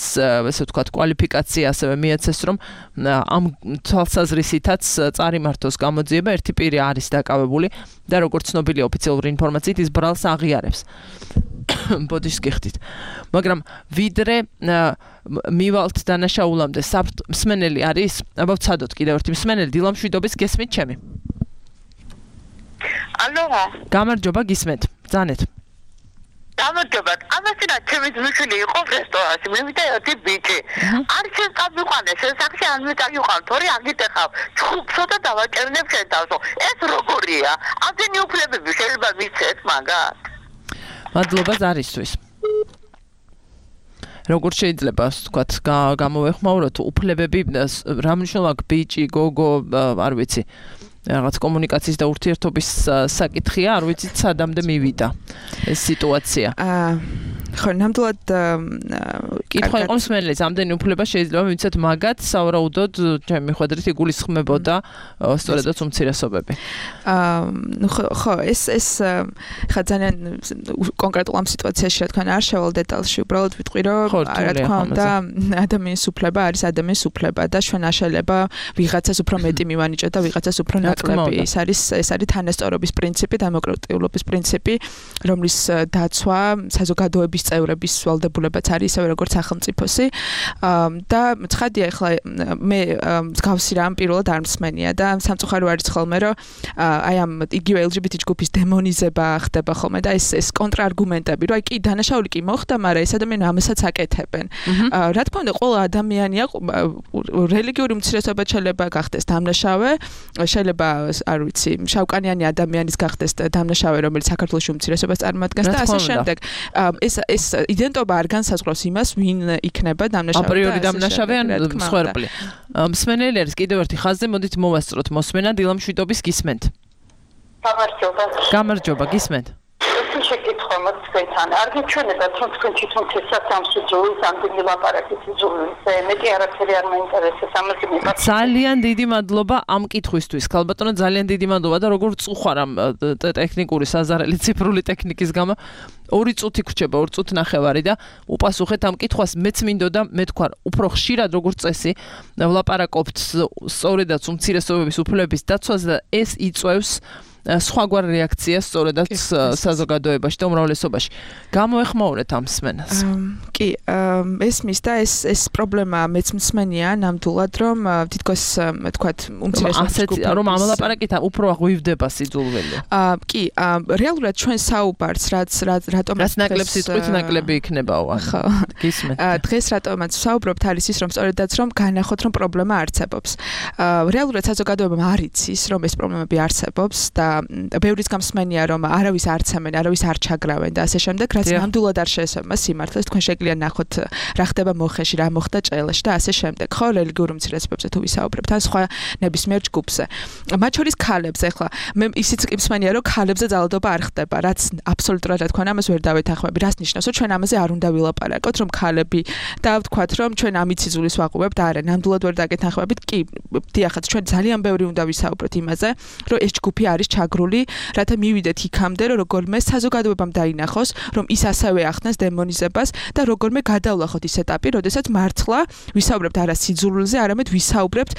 ესე ვთქვათ, კვალიფიკაცია ასევე მიეცეს, რომ ამ თვალსაზრისითაც წარიმართოს გამოძიება, ერთი პირი არის დაკავებული და როგორც ცნობილია ოფიციალური ინფორმაციით, ის ბრალს აღიარებს. ბოდიშს გიხდით. მაგრამ ვიდრე მივალთ დანაშაულამდე მსმენელი არის, აბა ვცადოთ კიდევ ერთი მსმენელი, დილამშვიდობის გესმით ჩემი. ალო. გამარჯობა, გისმენთ. ბრძანეთ. გამარჯობათ. ამასინა ჩემი ძმისშვილი იყო რესტორანში. მე ვიდა ერთი ბიჭი. არ შეწამიყვანეს ეს სახში არ მიტაგიყვან, თორე აგიტეხავ. ჩხუბსო და დავაჭერნებ შენ თავსო. ეს როგორია? ამდენი უფლებები შეიძლება ვიცეთ მაგათ? მადლობა ზარისთვის. როგორ შეიძლება, ვთქვათ, გამოვეხმაუროთ უფლებები, რა მნიშვნელობა აქვს ბიჭი, გოგო, არ ვიცი. რაღაც კომუნიკაციის და ურთიერთობის საკითხია, არ ვიცით სადამდე მივიდა ეს სიტუაცია. აა ხო, ნამდვილად კითხვა იყო მსმენელის, ამდენი უფლება შეიძლება მივიცეთ მაგათ, სავარაუდოდ ჩემი მიხედვით იგულისხმებოდა სწორედაც უმცირესობები. აა ნუ ხო, ეს ეს ხა ძალიან კონკრეტულ ამ სიტუაციაში რა თქმა უნდა არ შევალ დეტალში, უბრალოდ ვიტყვი რომ რა თქმა უნდა ადამიანის უფლება არის ადამიანის უფლება და ჩვენ არ შეიძლება ვიღაცას უფრო მეტი მივანიჭოთ და ვიღაცას უფრო ნაკლები. ეს არის ეს არის თანასწორობის პრინციპი, დემოკრატიულობის პრინციპი, რომლის დაცვა საზოგადოების წევრების ვალდებულებაც არის ისევე როგორც სახელმწიფოსი. და ცხადია ახლა მე მსგავსი რამ პირველად არ მსმენია და სამწუხარო არის ხოლმე რომ აი ამ იგივე ელ ჯი ბი ტი ჯგუფის დემონიზება ხდება ხოლმე და ეს ეს კონტრარგუმენტები რომ აი კი დანაშაული კი მოხდა, მაგრამ ეს ადამიანი ამასაც აკეთებენ. რა თქმა უნდა ყველა ადამიანია რელიგიური უმცირესობაც შეიძლება გახდეს დამნაშავე, შეიძლება არ ვიცი, შავკანიანი ადამიანის გახდეს დამნაშავე, რომელიც საქართველოს უმცირესობას წარმოადგენს და ასე შემდეგ. ეს ეს იდენტობა არ განსაზღვრავს იმას, ვინ იქნება დამნაშავე. აპრიორი დამნაშავე ან მსხვერპლი. მსმენელი არის კიდევ ერთი ხაზზე, მოდით მოვასწროთ მოსმენა დილამშვიდობის გისმენთ. გამარჯობა. გამარჯობა, გისმენთ. შეკითხვა მოწესთან. არ გიჩვენებათ რომ თქვენ თვითონ შესაძლოა ძულის ამდენი ლაპარაკის ძულის მეტი არაფერი არ მაინტერესებს ამაზე მიყავს. ძალიან დიდი მადლობა ამ კითხვისთვის. ქალბატონო, ძალიან დიდი მადლობა და როგორ წუხარ ამ ტექნიკური საზარელი ციფრული ტექნიკის გამო. ორი წუთი გრჩება, ორი წუთი ნახევარი და უპასუხეთ ამ კითხვას. მეც მინდოდა მე თქვა, უფრო ხშირად როგორც წესი ვლაპარაკობთ სწორედაც უმცირესობების უფლებების დაცვაზე და ეს იწვევს სხვაგვარ რეაქციას სწორედაც საზოგადოებაში და უმრავლესობაში. გამოეხმაურეთ ამ მსმენელს. კი, ესმის და ეს ეს პრობლემა მეც მსმენია ნამდვილად, რომ თითქოს თქვათ უმცირესობის რომ ამ ლაპარაკით უფრო აღვივდება სიძულველი. კი, რეალურად ჩვენ საუბარს რაც რატომ რაც ნაკლებ სიტყვით ნაკლები იქნებაო. ხო. გისმენთ. დღეს რატომაც საუბრობთ არის ის რომ სწორედაც რომ განახოთ რომ პრობლემა არსებობს. რეალურად საზოგადოებამ არ იცის რომ ეს პრობლემები არსებობს და ბევრის გამსმენია რომ არავის არ ცემენ, არავის არ ჩაგრავენ და ასე შემდეგ, რაც ნამდვილად არ შეესაბამება სიმართლეს. თქვენ შეგიძლია ნახოთ რა ხდება მოხეში, რა მოხდა ჭელაში და ასე შემდეგ. ხო, რელიგიურ უმცირესობებზე თუ ვისაუბრებთ, ან სხვა ნებისმიერ ჯგუფზე. მათ შორის ქალებზე, ახლა მე ისიც კი მსმენია რომ ქალებზე ძალადობა არ ხდება, რაც აბსოლუტურად რა თქმა უნდა ამას ვერ დავეთანხმები. რას ნიშნავს, რომ ჩვენ ამაზე არ უნდა ვილაპარაკოთ, რომ ქალები და ვთქვათ, რომ ჩვენ ამით სიძულის ვაყობებთ, არა, ნამდვილად ვერ დაგეთანხმებით. კი, დიახაც, ჩვენ ძალიან ბევრი უნდა ვისაუბროთ იმაზე, რომ ეს ჯგუფი არის ჩაგრული, რათა მივიდეთ იქამდე, რომ როგორმე საზოგადოებამ დაინახოს, რომ ის ასევე ახდენს დემონიზებას და როგორმე გადავლახოთ ის ეტაპი, როდესაც მართლა ვისაუბრებთ არა სიძულვილზე, არამედ ვისაუბრებთ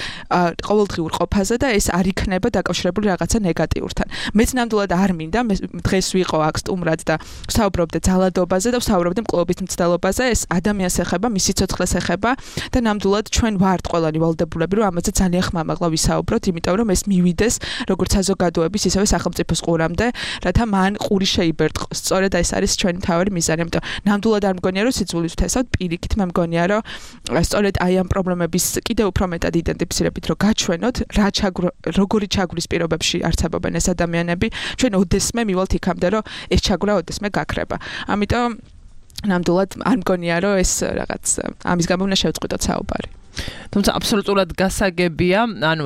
ყოველდღიურ ყოფაზე და ეს არ იქნება დაკავშირებული რაღაცა ნეგატიურთან. მეც ნამდვილად არ მინდა, დღეს ვიყო აქ სტუმრად და ვსაუბრობდე ძალადობაზე და ვსაუბრობდე მკვლობის მცდელობაზე, ეს ადამიანს ეხება, მისი ცოცხლეს ეხება და ნამდვილად ჩვენ ვართ ყველანი ვალდებულები, რომ ამაზე ძალიან ხმამაღლა ვისაუბროთ, იმიტომ რომ ეს მივიდეს როგორც საზოგადოების, ისევე სახელმწიფოს ყურამდე, რათა მან ყური შეიბერტყოს. სწორედ ეს არის ჩვენი მთავარი მიზანი. ამიტომ ნამდვილად არ მგონია, რომ სიძულვილს ვთესავთ, პირიქით მე მგონია, რომ სწორედ აი ამ პრობლემების კიდევ უფრო მეტად იდენტიფიცირებით, რომ გაჩვენოთ, რა ჩაგრო, როგორი ჩაგვრის პირობებში არსებობენ ეს ადამიანები, ჩვენ ოდესმე მივალთ იქამდე, რომ ეს ჩაგვრა ოდესმე გაქრება. ამიტომ ნამდვილად არ მგონია, რომ ეს რაღაც ამის გამო უნდა შევწყვიტოთ საუბარი. თუმცა აბსოლუტურად გასაგებია, ანუ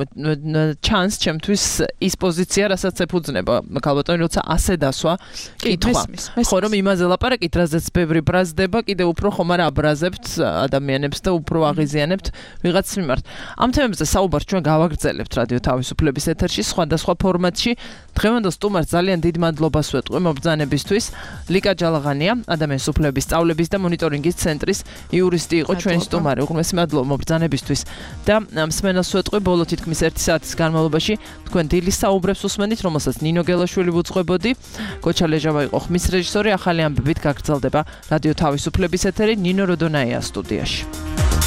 ჩანს ჩემთვის ის პოზიცია, რასაც ეფუძნება ქალბატონი, როცა ასე დასვა კითხვა. ხო, რომ იმაზე ლაპარაკით, რაზეც ბევრი ბრაზდება, კიდევ უფრო ხომ არ აბრაზებთ ადამიანებს და უფრო აღიზიანებთ ვიღაც მიმართ. ამ თემებზე საუბარს ჩვენ გავაგრძელებთ რადიო თავისუფლების ეთერში, სხვადასხვა ფორმატში. დღევანდელ სტუმარს ძალიან დიდ მადლობას ვეტყვი მობრძანებისთვის. ლიკა ჯალაღანია, ადამიანის უფლებების სწავლების და მონიტორინგის ცენტრის იურისტი იყო ჩვენი სტუმარი. უღრმესი მადლობა მობრძანებისთვის და მსმენელს ვეტყვი ბოლო თითქმის ერთი საათის განმავლობაში თქვენ დილის საუბრებს უსმენით, რომელსაც ნინო გელაშვილი ვუძღვებოდი. გოჩა ლეჟავა იყო ხმის რეჟისორი, ახალი ამბებით გაგრძელდება რადიო თავისუფლების ეთერი ნინო როდონაია სტუდიაში.